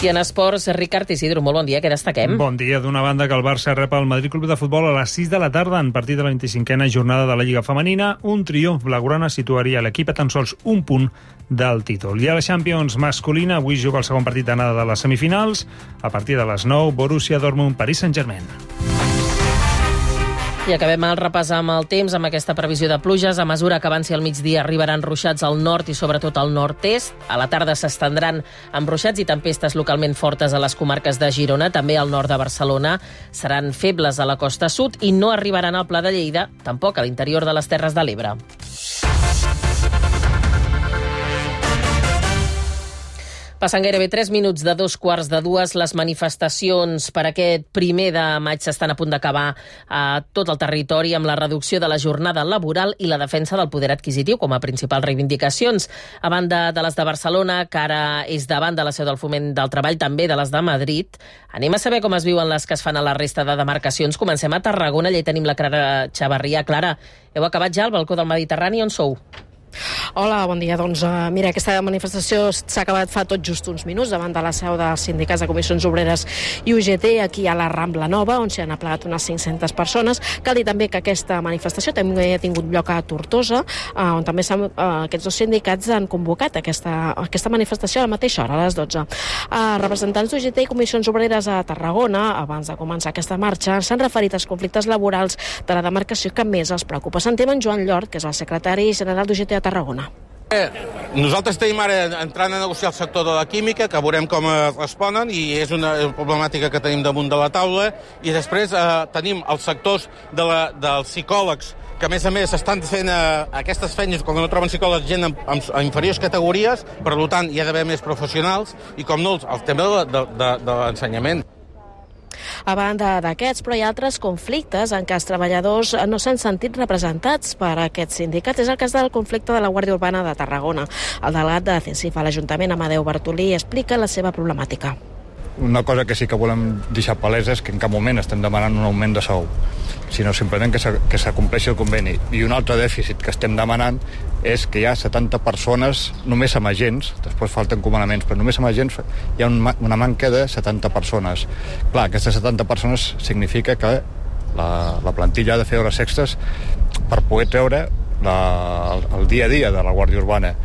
I en esports, Ricard Isidro, molt bon dia, què destaquem? Bon dia. D'una banda que el Barça rep el Madrid Club de Futbol a les 6 de la tarda en partit de la 25a jornada de la Lliga Femenina. Un triomf blaugrana situaria l'equip a tan sols un punt del títol. I a la Champions masculina, avui juga el segon partit d'anada de les semifinals. A partir de les 9, Borussia Dortmund, Paris Saint-Germain. I acabem el repàs amb el temps, amb aquesta previsió de pluges. A mesura que avanci el migdia arribaran ruixats al nord i sobretot al nord-est. A la tarda s'estendran amb ruixats i tempestes localment fortes a les comarques de Girona, també al nord de Barcelona. Seran febles a la costa sud i no arribaran al Pla de Lleida, tampoc a l'interior de les Terres de l'Ebre. Passen gairebé 3 minuts de 2:15. Les manifestacions per aquest 1 de maig s'estan a punt d'acabar a tot el territori amb la reducció de la jornada laboral i la defensa del poder adquisitiu com a principals reivindicacions. A banda de les de Barcelona, que ara és davant de la seu del Foment del Treball, també de les de Madrid. Anem a saber com es viuen les que es fan a la resta de demarcacions. Comencem a Tarragona, allà hi tenim la Clara Xavarria. Clara, heu acabat ja al balcó del Mediterrani, on sou? Hola, bon dia. Doncs mira, aquesta manifestació s'ha acabat fa tot just uns minuts davant de la seu dels sindicats de Comissions Obreres i UGT, aquí a la Rambla Nova, on s'hi han aplegat unes 500 persones. Cal dir també que aquesta manifestació també ha tingut lloc a Tortosa, on també aquests dos sindicats han convocat aquesta manifestació a la mateixa hora, a les 12. Representants d'UGT i Comissions Obreres a Tarragona, abans de començar aquesta marxa, s'han referit als conflictes laborals de la demarcació que més els preocupa. Sentim en Joan Llort, que és el secretari general d'UGT a Tarragona. Nosaltres tenim ara entrant a negociar el sector de la química, que veurem com responen, i és una problemàtica que tenim damunt de la taula, i després tenim els sectors dels psicòlegs, que a més estan fent aquestes feines quan no troben psicòlegs gent en inferiors categories, per tant hi ha d'haver més professionals, i com no, el tema de l'ensenyament. A banda d'aquests, però hi ha altres conflictes en què els treballadors no s'han sentit representats per aquests sindicats. És el cas del conflicte de la Guàrdia Urbana de Tarragona. El delegat de CESIF a l'Ajuntament, Amadeu Bartolí, explica la seva problemàtica. Una cosa que sí que volem deixar palesa és que en cap moment estem demanant un augment de sou, sinó simplement que s'acompleixi el conveni. I un altre dèficit que estem demanant és que hi ha 70 persones, només amb agents, després falten comandaments, però només amb agents hi ha una manca de 70 persones. Clar, aquestes 70 persones significa que la plantilla ha de fer hores extres per poder treure el dia a dia de la Guàrdia Urbana.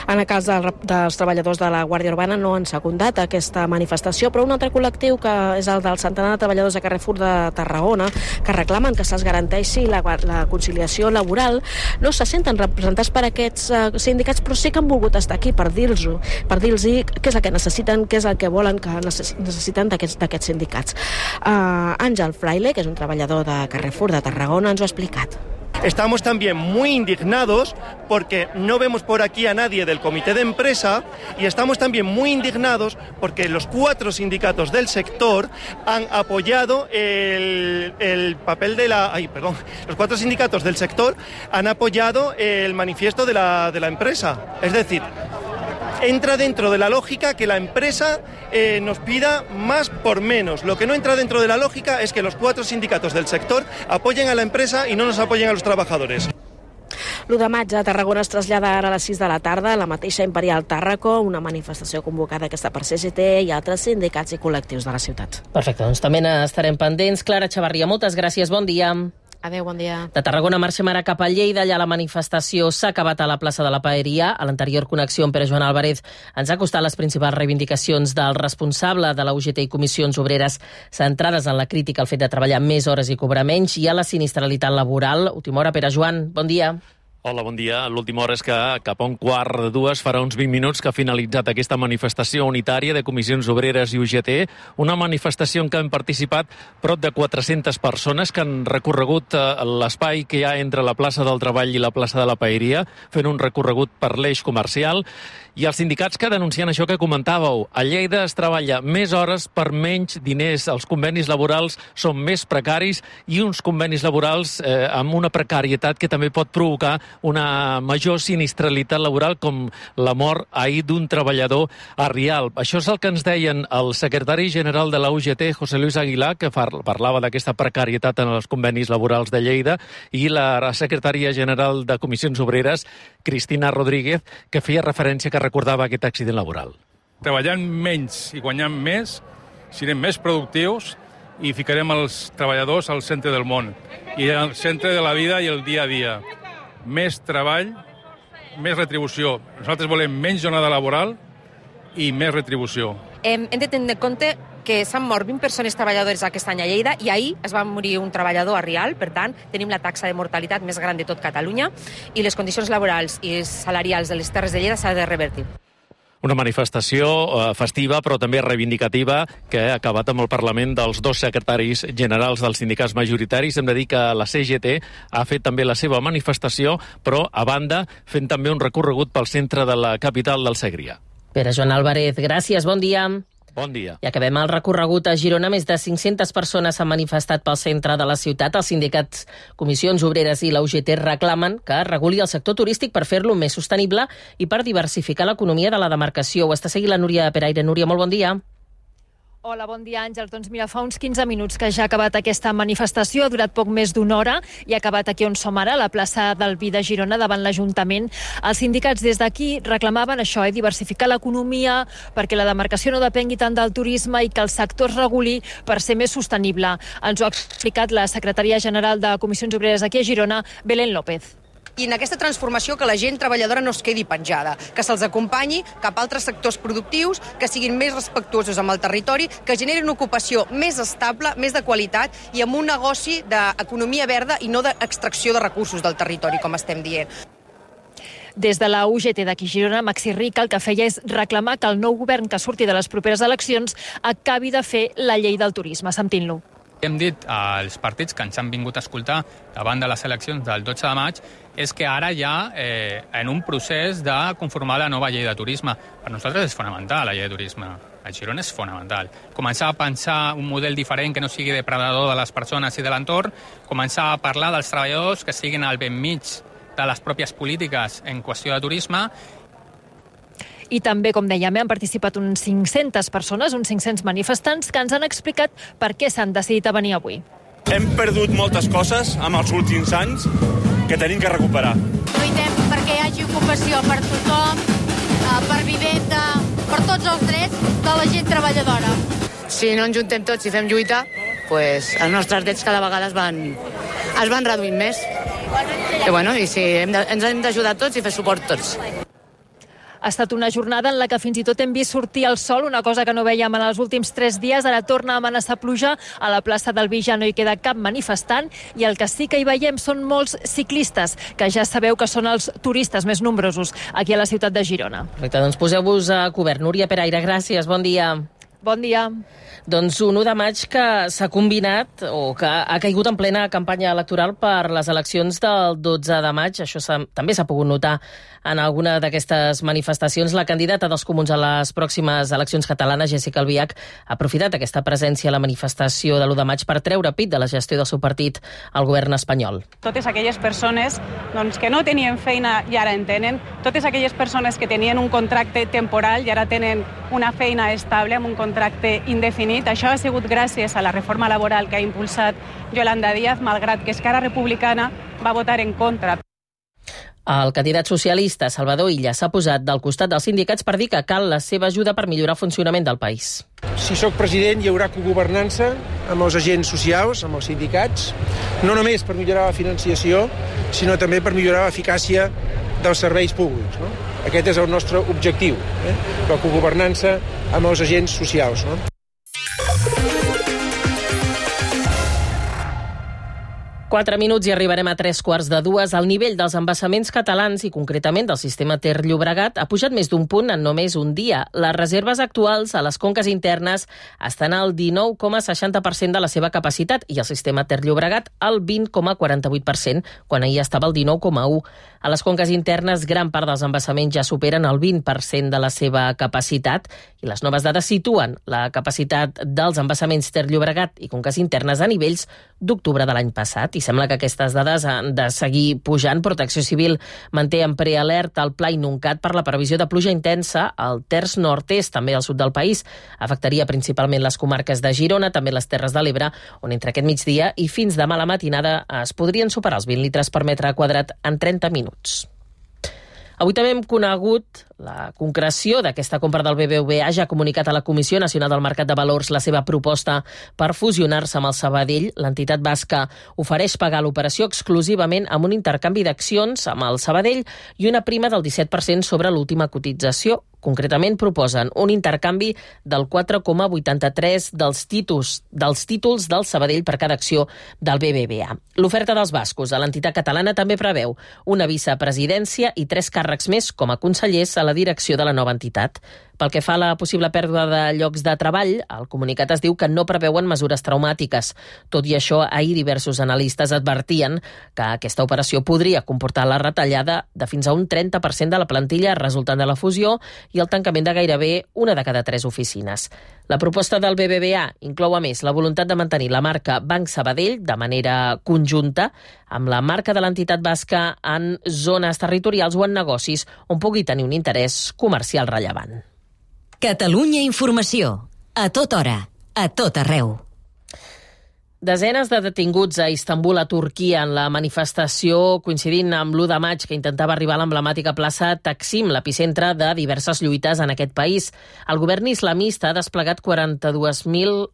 En el cas dels treballadors de la Guàrdia Urbana no han secundat aquesta manifestació, però un altre col·lectiu, que és el del centenar de treballadors de Carrefour de Tarragona, que reclamen que se'ls garanteixi la conciliació laboral, no se senten representats per aquests sindicats, però sí que han volgut estar aquí per dir-los què és el que necessiten, què és el que volen que necessiten d'aquests sindicats. Àngel Fraile, que és un treballador de Carrefour de Tarragona, ens ho ha explicat. Estamos también muy indignados porque no vemos por aquí a nadie del comité de empresa y estamos también muy indignados porque los 4 sindicatos del sector han apoyado el papel de los 4 sindicatos del sector han apoyado el manifiesto de la empresa. Es decir, entra dentro de la lógica que la empresa nos pida más por menos. Lo que no entra dentro de la lógica es que los 4 sindicatos del sector apoyen a la empresa y no nos apoyen a los trabajadores. L'1 de maig a Tarragona es trasllada ara a les 6 de la tarda a la mateixa Imperial Tàrraco, una manifestació convocada aquesta per CGT i altres sindicats i col·lectius de la ciutat. Perfecte, doncs també n'estarem pendents. Clara Chavarria, moltes gràcies, bon dia. Adéu, bon dia. De Tarragona marxem ara cap a Lleida. Allà la manifestació s'ha acabat a la plaça de la Paeria. A l'anterior connexió amb Pere Joan Álvarez ens ha costat les principals reivindicacions del responsable de la UGT i Comissions Obreres centrades en la crítica al fet de treballar més hores i cobrar menys i a la sinistralitat laboral. Última hora, Pere Joan, bon dia. Hola, bon dia. L'última hora és que cap a 1:15 farà uns 20 minuts que ha finalitzat aquesta manifestació unitària de Comissions Obreres i UGT, una manifestació en què han participat prop de 400 persones que han recorregut l'espai que hi ha entre la plaça del Treball i la plaça de la Paeria, fent un recorregut per l'eix comercial, i els sindicats que denuncien això que comentàveu. A Lleida es treballa més hores per menys diners, els convenis laborals són més precaris i uns convenis laborals amb una precarietat que també pot provocar una major sinistralitat laboral, com la mort ahir d'un treballador a Rialp. Això és el que ens deien el secretari general de la UGT, José Luis Aguilar, que parlava d'aquesta precarietat en els convenis laborals de Lleida, i la secretària general de Comissions Obreres, Cristina Rodríguez, que feia referència, que recordava aquest accident laboral. Treballant menys i guanyant més, serem més productius i ficarem els treballadors al centre del món i al centre de la vida i el dia a dia. Més treball, més retribució. Nosaltres volem menys jornada laboral i més retribució. Hem de tenir en compte que s'han mort 20 persones treballadores aquest any a Lleida i ahir es va morir un treballador a Rialp, per tant, tenim la taxa de mortalitat més gran de tot Catalunya i les condicions laborals i salarials de les Terres de Lleida s'ha de revertir. Una manifestació festiva, però també reivindicativa, que ha acabat amb el Parlament dels 2 secretaris generals dels sindicats majoritaris. Hem de dir que la CGT ha fet també la seva manifestació, però, a banda, fent també un recorregut pel centre de la capital del Segrià. Pere Joan Álvarez, gràcies, bon dia. Bon dia. I acabem el recorregut a Girona. Més de 500 persones s'han manifestat pel centre de la ciutat. Els sindicats Comissions Obreres i la UGT reclamen que es reguli el sector turístic per fer-lo més sostenible i per diversificar l'economia de la demarcació. Ho està seguint la Núria Peraire. Núria, molt bon dia. Hola, bon dia, Àngels. Doncs mira, fa uns 15 minuts que ja ha acabat aquesta manifestació, ha durat poc més d'1 hora i ha acabat aquí on som ara, a la plaça del Vi de Girona, davant l'Ajuntament. Els sindicats des d'aquí reclamaven això, diversificar l'economia perquè la demarcació no depengui tant del turisme i que el sector es reguli per ser més sostenible. Ens ho ha explicat la secretària general de Comissions Obreres aquí a Girona, Belén López. I en aquesta transformació que la gent treballadora no es quedi penjada, que se'ls acompanyi cap a altres sectors productius, que siguin més respectuosos amb el territori, que generin ocupació més estable, més de qualitat i amb un negoci d'economia verda i no d'extracció de recursos del territori, com estem dient. Des de la UGT d'aquí Girona, Maxi Rica el que feia és reclamar que el nou govern que surti de les properes eleccions acabi de fer la llei del turisme. Sentim-lo. Hem dit als partits que ens han vingut a escoltar davant de les eleccions del 12 de maig és que ara ja en un procés de conformar la nova llei de turisme. Per nosaltres és fonamental la llei de turisme. A Girona és fonamental. Començar a pensar un model diferent que no sigui depredador de les persones i de l'entorn, començar a parlar dels treballadors que siguin al ben mig de les pròpies polítiques en qüestió de turisme. I també, com dèiem, han participat uns 500 persones, uns 500 manifestants, que ens han explicat per què s'han decidit a venir avui. Hem perdut moltes coses en els últims anys que tenim que recuperar. Lluitem perquè hi hagi ocupació per tothom, per vivenda, per tots els drets de la gent treballadora. Si no ens juntem tots i fem lluita, pues els nostres drets cada vegada es van reduint més. I sí, ens hem d'ajudar tots i fer suport tots. Ha estat una jornada en la que fins i tot hem vist sortir el sol, una cosa que no vèiem en els últims 3 dies. Ara torna a amenaçar pluja. A la plaça del Vi ja no hi queda cap manifestant i el que sí que hi veiem són molts ciclistes, que ja sabeu que són els turistes més nombrosos aquí a la ciutat de Girona. Doncs poseu-vos a cobert. Núria Peraire, gràcies, bon dia. Bon dia. Doncs un 1 de maig que s'ha combinat o que ha caigut en plena campanya electoral per les eleccions del 12 de maig. Això també s'ha pogut notar en alguna d'aquestes manifestacions. La candidata dels Comuns a les pròximes eleccions catalanes, Jéssica Albiach, ha aprofitat aquesta presència a la manifestació de l'1 de maig per treure pit de la gestió del seu partit al govern espanyol. Totes aquelles persones que no tenien feina i ara en tenen, totes aquelles persones que tenien un contracte temporal i ara tenen una feina estable amb un contracte indefinit. Això ha sigut gràcies a la reforma laboral que ha impulsat Yolanda Díaz, malgrat que Esquerra Republicana va votar en contra. El candidat socialista, Salvador Illa, s'ha posat del costat dels sindicats per dir que cal la seva ajuda per millorar el funcionament del país. Si sóc president, hi haurà cogovernança amb els agents socials, amb els sindicats, no només per millorar la financiació, sinó també per millorar l'eficàcia dels serveis públics. Aquest és el nostre objectiu, la cogovernança amb els agents socials. 4 minuts i arribarem a 3:45. El nivell dels embassaments catalans i concretament del sistema Ter-Llobregat ha pujat més d'un punt en només un dia. Les reserves actuals a les conques internes estan al 19,60% de la seva capacitat i el sistema Ter-Llobregat al 20,48%, quan ahir estava al 19,1%. A les conques internes, gran part dels embassaments ja superen el 20% de la seva capacitat i les noves dades situen la capacitat dels embassaments Ter-Llobregat i conques internes a nivells d'octubre de l'any passat. I sembla que aquestes dades han de seguir pujant. Protecció Civil manté en prealerta el Pla Inuncat per la previsió de pluja intensa al terç nord-est, també al sud del país. Afectaria principalment les comarques de Girona, també les Terres de l'Ebre, on entre aquest migdia i fins demà a la matinada es podrien superar els 20 litres per metre quadrat en 30 minuts. Avui també hem conegut la concreció d'aquesta compra del BBVA. Ja ha comunicat a la Comissió Nacional del Mercat de Valors la seva proposta per fusionar-se amb el Sabadell. L'entitat basca ofereix pagar l'operació exclusivament amb un intercanvi d'accions amb el Sabadell i una prima del 17% sobre l'última cotització. Concretament proposen un intercanvi del 4,83 dels títols del Sabadell per cada acció del BBVA. L'oferta dels bascos a l'entitat catalana també preveu una vicepresidència i 3 càrrecs més com a consellers a la direcció de la nova entitat. Pel que fa a la possible pèrdua de llocs de treball, el comunicat es diu que no preveuen mesures traumàtiques. Tot i això, ahir diversos analistes advertien que aquesta operació podria comportar la retallada de fins a un 30% de la plantilla resultant de la fusió i el tancament de gairebé una de cada 3 oficines. La proposta del BBVA inclou a més la voluntat de mantenir la marca Banc Sabadell de manera conjunta amb la marca de l'entitat basca en zones territorials o en negocis on pugui tenir un interès comercial rellevant. Catalunya Informació. A tota hora, a tot arreu. Desenes de detinguts a Istanbul, a Turquia, en la manifestació coincidint amb l'1 de maig que intentava arribar a l'emblemàtica plaça Taksim, l'epicentre de diverses lluites en aquest país. El govern islamista ha desplegat 42.000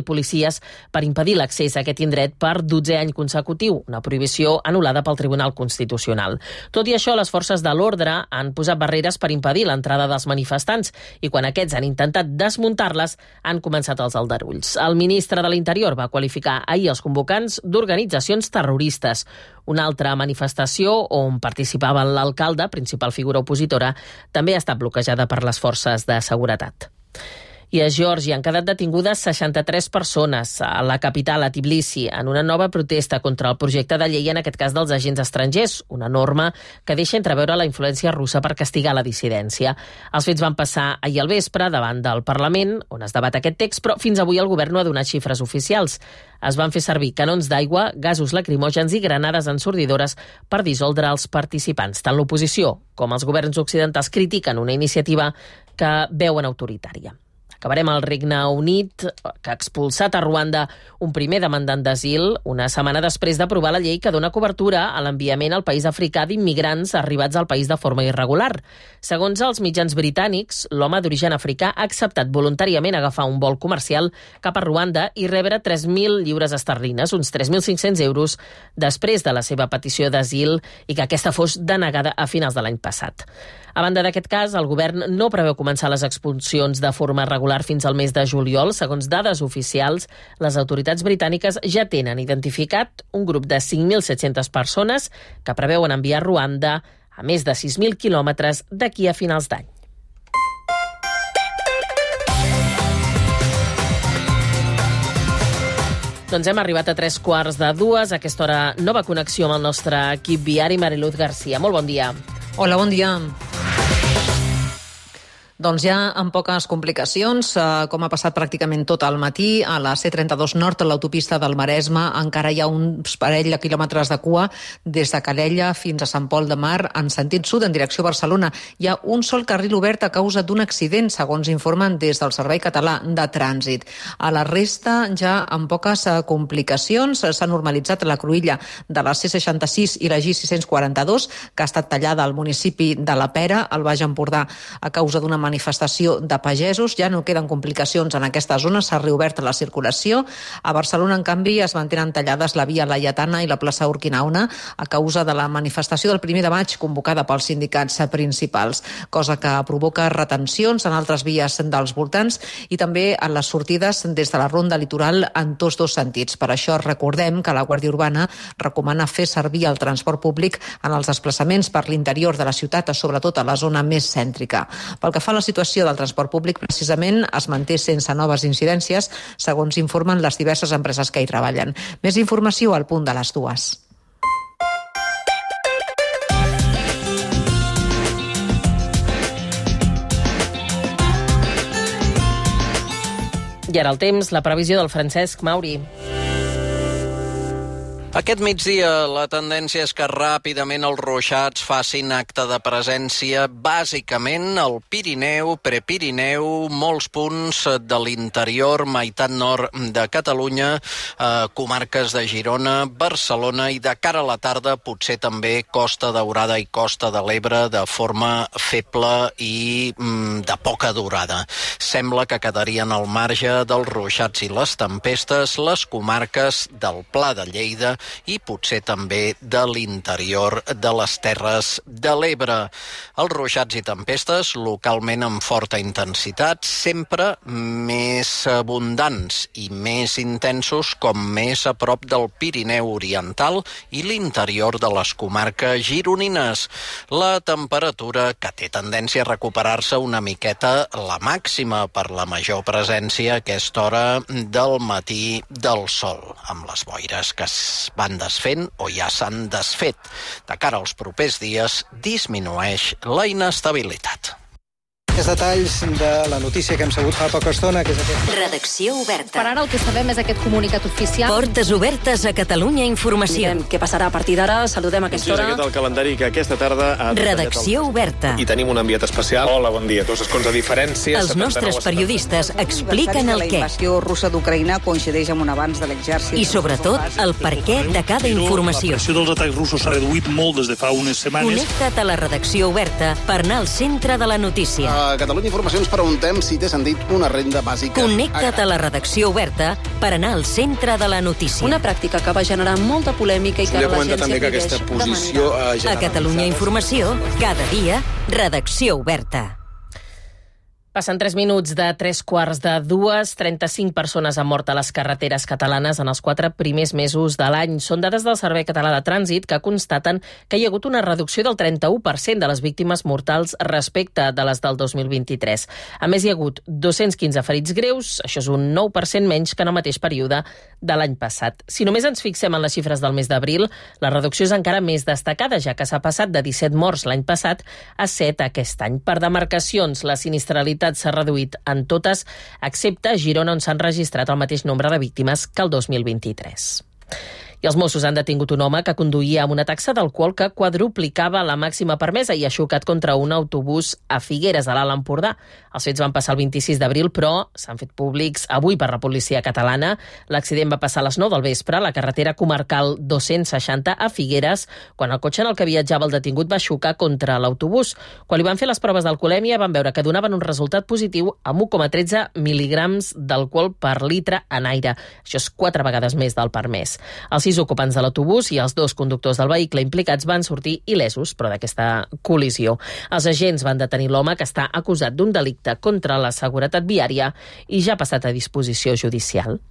policies per impedir l'accés a aquest indret per 12è any consecutiu, una prohibició anul·lada pel Tribunal Constitucional. Tot i això, les forces de l'ordre han posat barreres per impedir l'entrada dels manifestants i quan aquests han intentat desmuntar-les han començat els aldarulls. El ministre de l'Interior va qualificar ahir els convocants d'organitzacions terroristes. Una altra manifestació on participava l'alcalde, principal figura opositora, també ha estat bloquejada per les forces de seguretat. I a Geòrgia han quedat detingudes 63 persones a la capital, a Tbilisi, en una nova protesta contra el projecte de llei, en aquest cas dels agents estrangers, una norma que deixa entreveure la influència russa per castigar la dissidència. Els fets van passar ahir al vespre davant del Parlament, on es debat aquest text, però fins avui el govern no ha donat xifres oficials. Es van fer servir canons d'aigua, gasos lacrimògens i granades ensordidores per dissoldre els participants. Tant l'oposició com els governs occidentals critiquen una iniciativa que veuen autoritària. Acabarem al Regne Unit, que ha expulsat a Ruanda un primer demandant d'asil una setmana després d'aprovar la llei que dona cobertura a l'enviament al país africà d'immigrants arribats al país de forma irregular. Segons els mitjans britànics, l'home d'origen africà ha acceptat voluntàriament agafar un vol comercial cap a Ruanda i rebre 3.000 lliures esterlines, uns 3.500 euros, després de la seva petició d'asil i que aquesta fos denegada a finals de l'any passat. A banda d'aquest cas, el govern no preveu començar les expulsions de forma regular fins al mes de juliol. Segons dades oficials, les autoritats britàniques ja tenen identificat un grup de 5.700 persones que preveuen enviar a Ruanda a més de 6.000 quilòmetres d'aquí a finals d'any. Doncs hem arribat a 3:45. A aquesta hora, nova connexió amb el nostre equip viari. Mariluz García, molt bon dia. Hola, bon dia. Doncs ja amb poques complicacions, com ha passat pràcticament tot el matí, a la C32 Nord, a l'autopista del Maresme, encara hi ha uns parell de quilòmetres de cua des de Calella fins a Sant Pol de Mar, en sentit sud, en direcció a Barcelona. Hi ha un sol carril obert a causa d'un accident, segons informen des del Servei Català de Trànsit. A la resta, ja amb poques complicacions, s'ha normalitzat la cruïlla de la C66 i la G642, que ha estat tallada al municipi de la Pera, al Baix Empordà, a causa d'una manifestació de pagesos. Ja no queden complicacions en aquesta zona, s'ha reobert la circulació. A Barcelona, en canvi, es mantenen tallades la via Laietana i la plaça Urquinaona a causa de la manifestació del 1 de maig convocada pels sindicats principals, cosa que provoca retencions en altres vies dels voltants i també en les sortides des de la ronda litoral en tots dos sentits. Per això recordem que la Guàrdia Urbana recomana fer servir el transport públic en els desplaçaments per l'interior de la ciutat, sobretot a la zona més cèntrica. Pel que fa a la situació del transport públic, precisament es manté sense noves incidències, segons informen les diverses empreses que hi treballen. Més informació al punt de les 2. I ara el temps, la previsió del Francesc Mauri. Aquest migdia la tendència és que ràpidament els ruixats facin acte de presència, bàsicament al Pirineu, Prepirineu, molts punts de l'interior, meitat nord de Catalunya, comarques de Girona, Barcelona i de cara a la tarda potser també Costa Daurada i Costa de l'Ebre de forma feble i de poca durada. Sembla que quedarien al marge dels ruixats i les tempestes les comarques del Pla de Lleida i potser també de l'interior de les Terres de l'Ebre. Els ruixats i tempestes, localment amb forta intensitat, sempre més abundants i més intensos com més a prop del Pirineu Oriental i l'interior de les comarques gironines. La temperatura, que té tendència a recuperar-se una miqueta la màxima per la major presència a aquesta hora del matí del sol, amb les boires que es van desfent o ja s'han desfet. De cara als propers dies, disminueix la inestabilitat. Aquests detalls de la notícia que hem sabut fa poca estona, que és aquest... Redacció oberta. Per ara el que sabem és aquest comunicat oficial. Portes obertes a Catalunya Informació. Mirem què passarà a partir d'ara, saludem a aquesta hora. Aquest el calendari que aquesta tarda ha Redacció oberta. I tenim un enviat especial. Hola, bon dia. Dos escons de diferència. Els nostres periodistes expliquen el què. La invasió russa d'Ucraïna coincideix amb un avanç de l'exèrcit. I sobretot el per què de cada informació. La pressió dels atacs russos s'ha reduït molt des de fa unes setmanes. Connecta't a la redacció oberta per anar al centre de la notícia. A Catalunya Informació ens preguntem si té sentit una renda bàsica. Connecta't a la redacció oberta per anar al centre de la notícia. Una pràctica que va generar molta polèmica i que ara l'agència també que aquesta posició a Catalunya Informació, cada dia, redacció oberta. Passen 3 minuts de 3:15, 35 persones han mort a les carreteres catalanes en els 4 primers mesos de l'any. Són dades del Servei Català de Trànsit que constaten que hi ha hagut una reducció del 31% de les víctimes mortals respecte de les del 2023. A més, hi ha hagut 215 ferits greus, això és un 9% menys que en el mateix període de l'any passat. Si només ens fixem en les xifres del mes d'abril, la reducció és encara més destacada, ja que s'ha passat de 17 morts l'any passat a 7 aquest any. Per demarcacions, la sinistralitat s'ha reduït en totes, excepte a Girona, on s'han registrat el mateix nombre de víctimes que el 2023. I els Mossos han detingut un home que conduïa amb una taxa d'alcohol que quadruplicava la màxima permesa i ha xocat contra un autobús a Figueres, a l'Alt Empordà. Els fets van passar el 26 d'abril, però s'han fet públics avui per la policia catalana. L'accident va passar a les 9 del vespre a la carretera comarcal 260 a Figueres, quan el cotxe en el que viatjava el detingut va xocar contra l'autobús. Quan li van fer les proves d'alcoholèmia van veure que donaven un resultat positiu amb 1,13 mil·lígrams d'alcohol per litre en aire. Això és 4 vegades més del permès. Els 6 ocupants de l'autobús i els 2 conductors del vehicle implicats van sortir il·lesos, però d'aquesta col·lisió. Els agents van detenir l'home que està acusat d'un delicte contra la seguretat viària i ja ha passat a disposició judicial.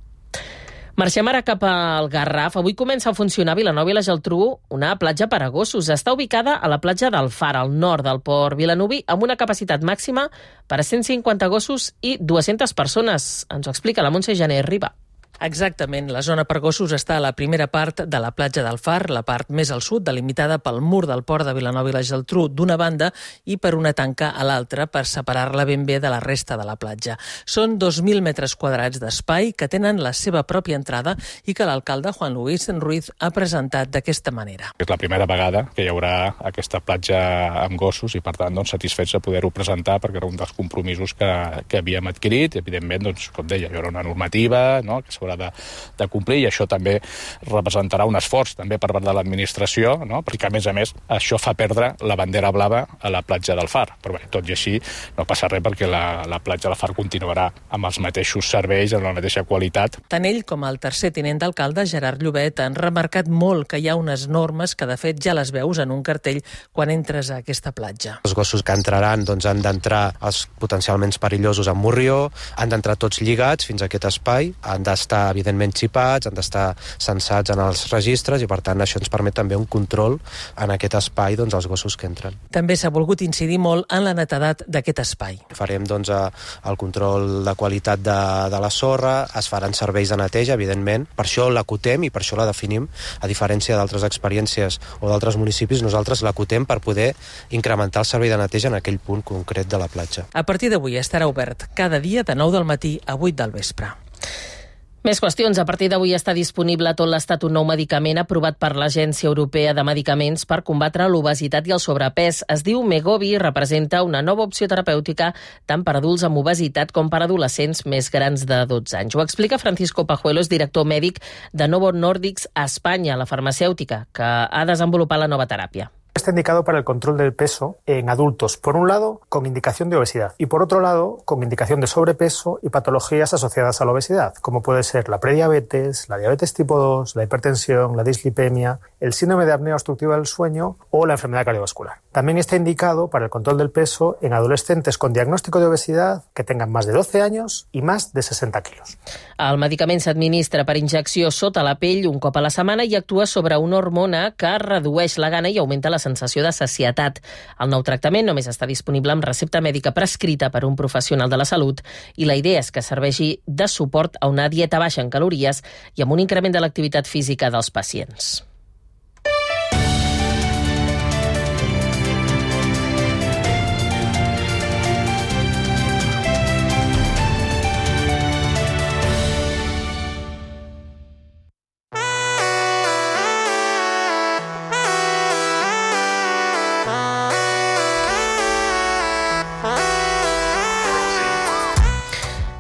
Marxem ara cap al Garraf. Avui comença a funcionar a Vilanova i la Geltrú una platja per a gossos. Està ubicada a la platja del Far, al nord del port vilanoví, amb una capacitat màxima per a 150 gossos i 200 persones. Ens ho explica la Montse Jané Riba. Exactament. La zona per gossos està a la primera part de la platja del Far, la part més al sud, delimitada pel mur del port de Vilanova i la Geltrú d'una banda i per una tanca a l'altra per separar-la ben bé de la resta de la platja. Són 2.000 metres quadrats d'espai que tenen la seva pròpia entrada i que l'alcalde Juan Luis Ruiz ha presentat d'aquesta manera. És la primera vegada que hi haurà aquesta platja amb gossos i, per tant, satisfets de poder-ho presentar perquè era un dels compromisos que havíem adquirit. Evidentment, com deia, hi haurà una normativa, no?, que s'haurà de complir, i això també representarà un esforç també per part de l'administració, no?, perquè a més això fa perdre la bandera blava a la platja del Far. Però bé, tot i així no passa res perquè la platja del Far continuarà amb els mateixos serveis, amb la mateixa qualitat. Tant ell com el tercer tinent d'alcalde, Gerard Llobet, han remarcat molt que hi ha unes normes que de fet ja les veus en un cartell quan entres a aquesta platja. Els gossos que entraran han d'entrar els potencialment perillosos amb morrió, han d'entrar tots lligats fins a aquest espai, han d'estar evidentment xipats, han d'estar censats en els registres i per tant això ens permet també un control en aquest espai als gossos que entren. També s'ha volgut incidir molt en la netedat d'aquest espai. Farem el control de qualitat de la sorra, es faran serveis de neteja, evidentment, per això l'acotem i per això la definim, a diferència d'altres experiències o d'altres municipis, nosaltres l'acotem per poder incrementar el servei de neteja en aquell punt concret de la platja. A partir d'avui estarà obert cada dia de 9 del matí a 8 del vespre. Més qüestions. A partir d'avui està disponible a tot l'Estat un nou medicament aprovat per l'Agència Europea de Medicaments per combatre l'obesitat i el sobrepès. Es diu Megovi i representa una nova opció terapèutica tant per adults amb obesitat com per adolescents més grans de 12 anys. Ho explica Francisco Pajuelos, director mèdic de Novo Nordisk a Espanya, la farmacèutica, que ha desenvolupat la nova teràpia. Está indicado para el control del peso en adultos, por un lado, con indicación de obesidad y por otro lado, con indicación de sobrepeso y patologías asociadas a la obesidad, como puede ser la prediabetes, la diabetes tipo 2, la hipertensión, la dislipemia, el síndrome de apnea obstructiva del sueño o la enfermedad cardiovascular. También está indicado para el control del peso en adolescentes con diagnóstico de obesidad que tengan más de 12 años y más de 60 quilos. El medicament s'administra per injecció sota la pell un cop a la setmana i actua sobre una hormona que redueix la gana i augmenta la sensació de sacietat. El nou tractament només està disponible amb recepta mèdica prescrita per un professional de la salut i la idea és que serveixi de suport a una dieta baixa en calories i amb un increment de l'activitat física dels pacients.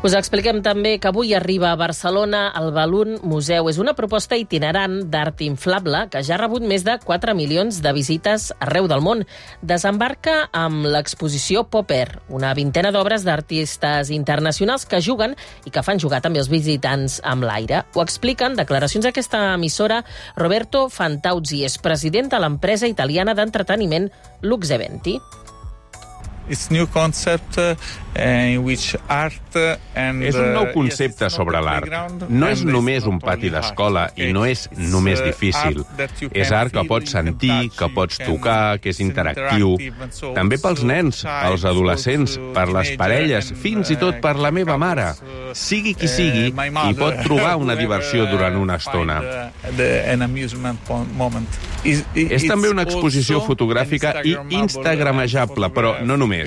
Us expliquem també que avui arriba a Barcelona el Balloon Museu. És una proposta itinerant d'art inflable que ja ha rebut més de 4 milions de visites arreu del món. Desembarca amb l'exposició Pop Air, una vintena d'obres d'artistes internacionals que juguen i que fan jugar també els visitants amb l'aire. Ho expliquen declaracions a aquesta emissora Roberto Fantauzi, és president de l'empresa italiana d'entreteniment Lux Eventi. És un nou concepte sobre l'art. No és només un pati d'escola i no és només difícil. És art que pots sentir, que pots tocar, que és interactiu. També pels nens, els adolescents, per les parelles, fins i tot per la meva mare. Sigui qui sigui, hi pot trobar una diversió durant una estona. És també una exposició fotogràfica i instagramejable, però no només.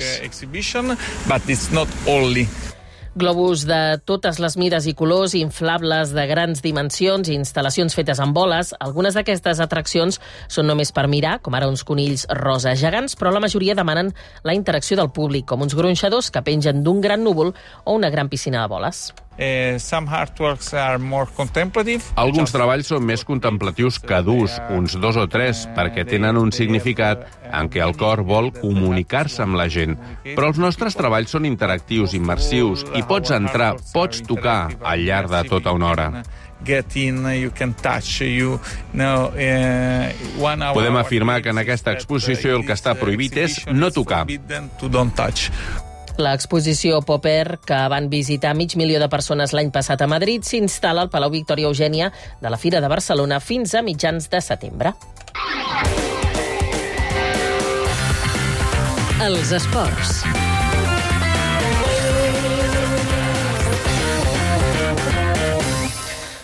Globus de totes les mides i colors, inflables de grans dimensions i instal·lacions fetes amb boles. Algunes d'aquestes atraccions són només per mirar, com ara uns conills rosa gegants, però la majoria demanen la interacció del públic, com uns gronxadors que pengen d'un gran núvol o una gran piscina de boles. Alguns treballs són més contemplatius que durs, uns 2 o 3, perquè tenen un significat en què el cor vol comunicar-se amb la gent. Però els nostres treballs són interactius, immersius, i pots entrar, pots tocar al llarg de tota una hora. Podem afirmar que en aquesta exposició el que està prohibit és no tocar. L'exposició Popper, que van visitar 500.000 de persones l'any passat a Madrid, s'instal·la al Palau Victòria Eugènia de la Fira de Barcelona fins a mitjans de setembre. Els esports.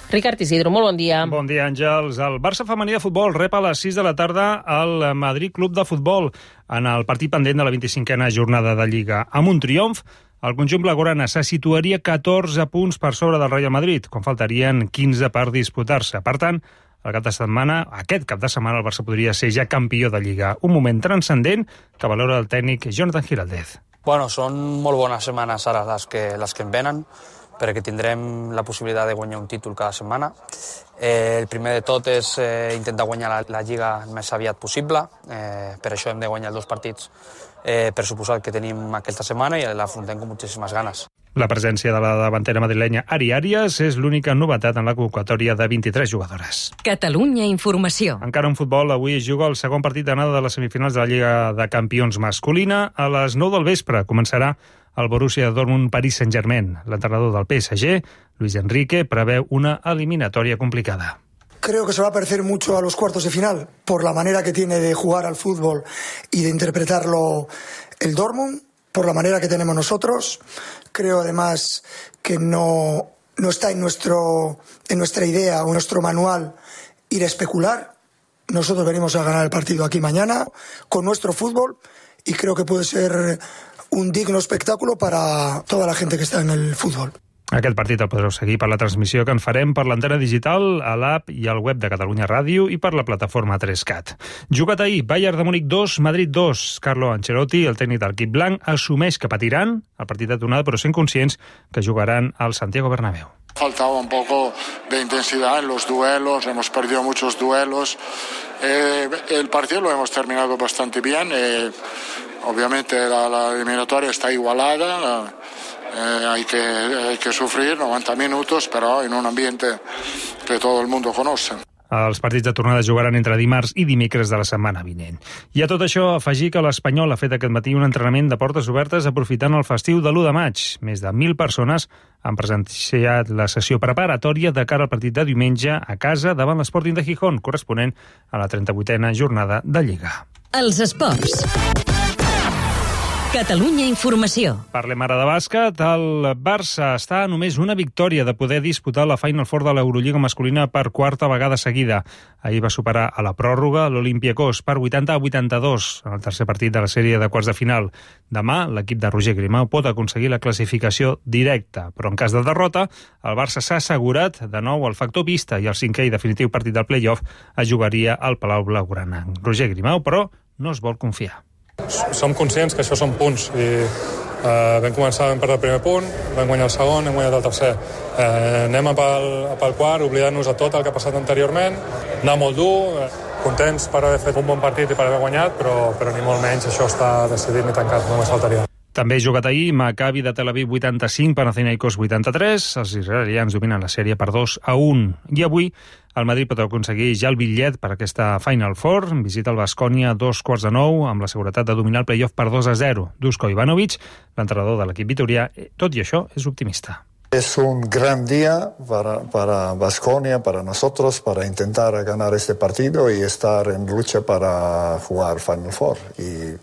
Ricard Isidro, molt bon dia. Bon dia, Àngels. El Barça femení de futbol rep a les 6 de la tarda al Madrid Club de Futbol en el partit pendent de la 25a jornada de Lliga. Amb un triomf, el conjunt blaugrana se situaria 14 punts per sobre del Real Madrid, quan faltarien 15 per disputar-se. Per tant, aquest cap de setmana el Barça podria ser ja campió de Lliga. Un moment transcendent que valora el tècnic Jonathan Giraldez. Bueno, són molt bones setmanes ara les que ens venen, perquè tindrem la possibilitat de guanyar un títol cada setmana. El primer de tot és intentar guanyar la Lliga el més aviat possible. Per això hem de guanyar els 2 partits pressuposat que tenim aquesta setmana i l'afrontem amb moltíssimes ganes. La presència de la davantera madrilenya Ari Arias és l'única novetat en la convocatòria de 23 jugadores. Catalunya Informació. Encara en futbol, avui es juga el segon partit d'anada de les semifinals de la Lliga de Campions masculina. A les 9 del vespre començarà el Borussia Dortmund-Paris Saint-Germain. L'entrenador del PSG, Luis Enrique, preveu una eliminatòria complicada. Creo que se va a parecer mucho a los cuartos de final por la manera que tiene de jugar al fútbol y de interpretarlo el Dortmund, por la manera que tenemos nosotros. Creo además que no está en nuestra idea o en nuestro manual ir a especular. Nosotros venimos a ganar el partido aquí mañana con nuestro fútbol y creo que puede ser un digno espectáculo para toda la gente que está en el fútbol. Aquest partit el podreu seguir per la transmissió que en farem per l'antena digital, a l'app i al web de Catalunya Ràdio i per la plataforma 3CAT. Jugat ahir, Bayern de Múnich 2, Madrid 2. Carlo Ancelotti, el tècnic del equip blanc, assumeix que patiran el partit de tornada, però sent conscients que jugaran al Santiago Bernabéu. Faltaba un poco de intensidad en los duelos, hemos perdido muchos duelos. El partido lo hemos terminado bastante bien. Obviamente la eliminatoria está igualada. Hay que sufrir 90 minutos, però en un ambiente que todo el mundo conoce. Els partits de tornada jugaran entre dimarts i dimecres de la setmana vinent. I a tot això, afegir que l'Espanyol ha fet aquest matí un entrenament de portes obertes aprofitant el festiu de l'1 de maig. Més de 1.000 persones han presenciat la sessió preparatòria de cara al partit de diumenge a casa davant l'Sporting de Gijón, corresponent a la 38a jornada de Lliga. Els esports. Catalunya Informació. Parlem ara de bàsquet. El Barça està a només una victòria de poder disputar la Final Four de l'Eurolliga masculina per quarta vegada seguida. Ahir va superar a la pròrroga l'Olympiacos per 80-82 en el tercer partit de la sèrie de quarts de final. Demà, l'equip de Roger Grimau pot aconseguir la classificació directa, però en cas de derrota, el Barça s'ha assegurat de nou el factor pista i el cinquè i definitiu partit del play-off es jugaria al Palau Blaugrana. Roger Grimau, però, no es vol confiar. Som conscients que això són punts i vam començar, vam perdre el primer punt, vam guanyar el segon, hem guanyat el tercer. Anem pel quart, oblidant-nos de tot el que ha passat anteriorment, anar molt dur, contents per haver fet un bon partit i per haver guanyat, però ni molt menys això està decidit ni tancat, només faltaria. També jugat ahir, Maccabi de Tel Aviv 85, Panathinaikos 83. Els israelians dominen la sèrie per 2-1. I avui el Madrid pot aconseguir ja el bitllet per aquesta Final Four. Visita el Baskonia a 8:45, amb la seguretat de dominar el playoff per 2-0. Dusko Ivanovic, l'entrenador de l'equip vitorià, tot i això, és optimista. Es un gran día para Baskonia, para nosotros, para intentar ganar este partido y estar en lucha para jugar Final Four. Y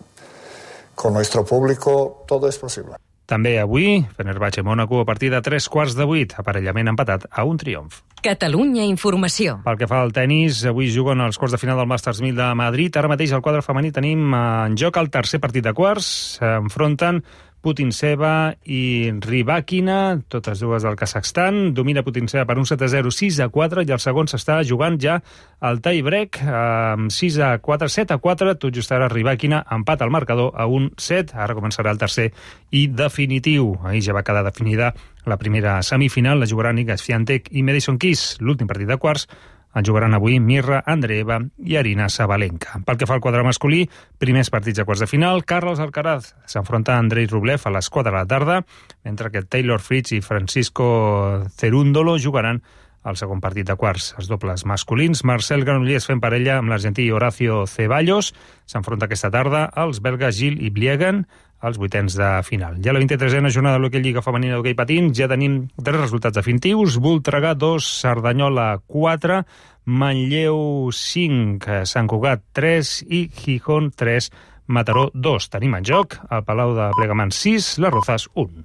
con nuestro público todo es posible. També avui, Fenerbahçe-Mónaco a partir de 7:45, aparellament empatat a un triomf. Catalunya Informació. Pel que fa al tenis, avui juguen els quarts de final del Masters 1000 de Madrid. Ara mateix al quadre femení tenim en joc el tercer partit de quarts. S'enfronten Putintseva i Rybakina, totes dues del Kazakhstan. Domina Putintseva per un 7-0, 6-4, i el segon s'està jugant ja al tie-break amb 6-4, 7-4, tot just ara Rybakina empat al marcador a un 7. Ara començarà el tercer i definitiu. Ahir ja va quedar definida la primera semifinal, la jugaran Iga Swiatek i Madison Keys. L'últim partit de quarts en jugaran avui Mirra Andreeva i Arina Sabalenka. Pel que fa al quadre masculí, primers partits de quarts de final. Carlos Alcaraz s'enfronta a Andrei Rublev a les 4 de la tarda, mentre que Taylor Fritz i Francisco Cerúndolo jugaran el segon partit de quarts. Els dobles masculins, Marcel Granollers fent parella amb l'argentí Horacio Ceballos. S'enfronta aquesta tarda als belgues Gil i Bliegen als vuitens de final. Ja la 23a jornada de l'Hockey Lliga Femenina d'Hockey Patins, ja tenim 3 resultats definitius. Voltregà 2, Cerdanyola 4, Manlleu 5, Sant Cugat 3 i Gijón 3, Mataró 2. Tenim en joc el Palau de Plegamans 6, les Rozas 1.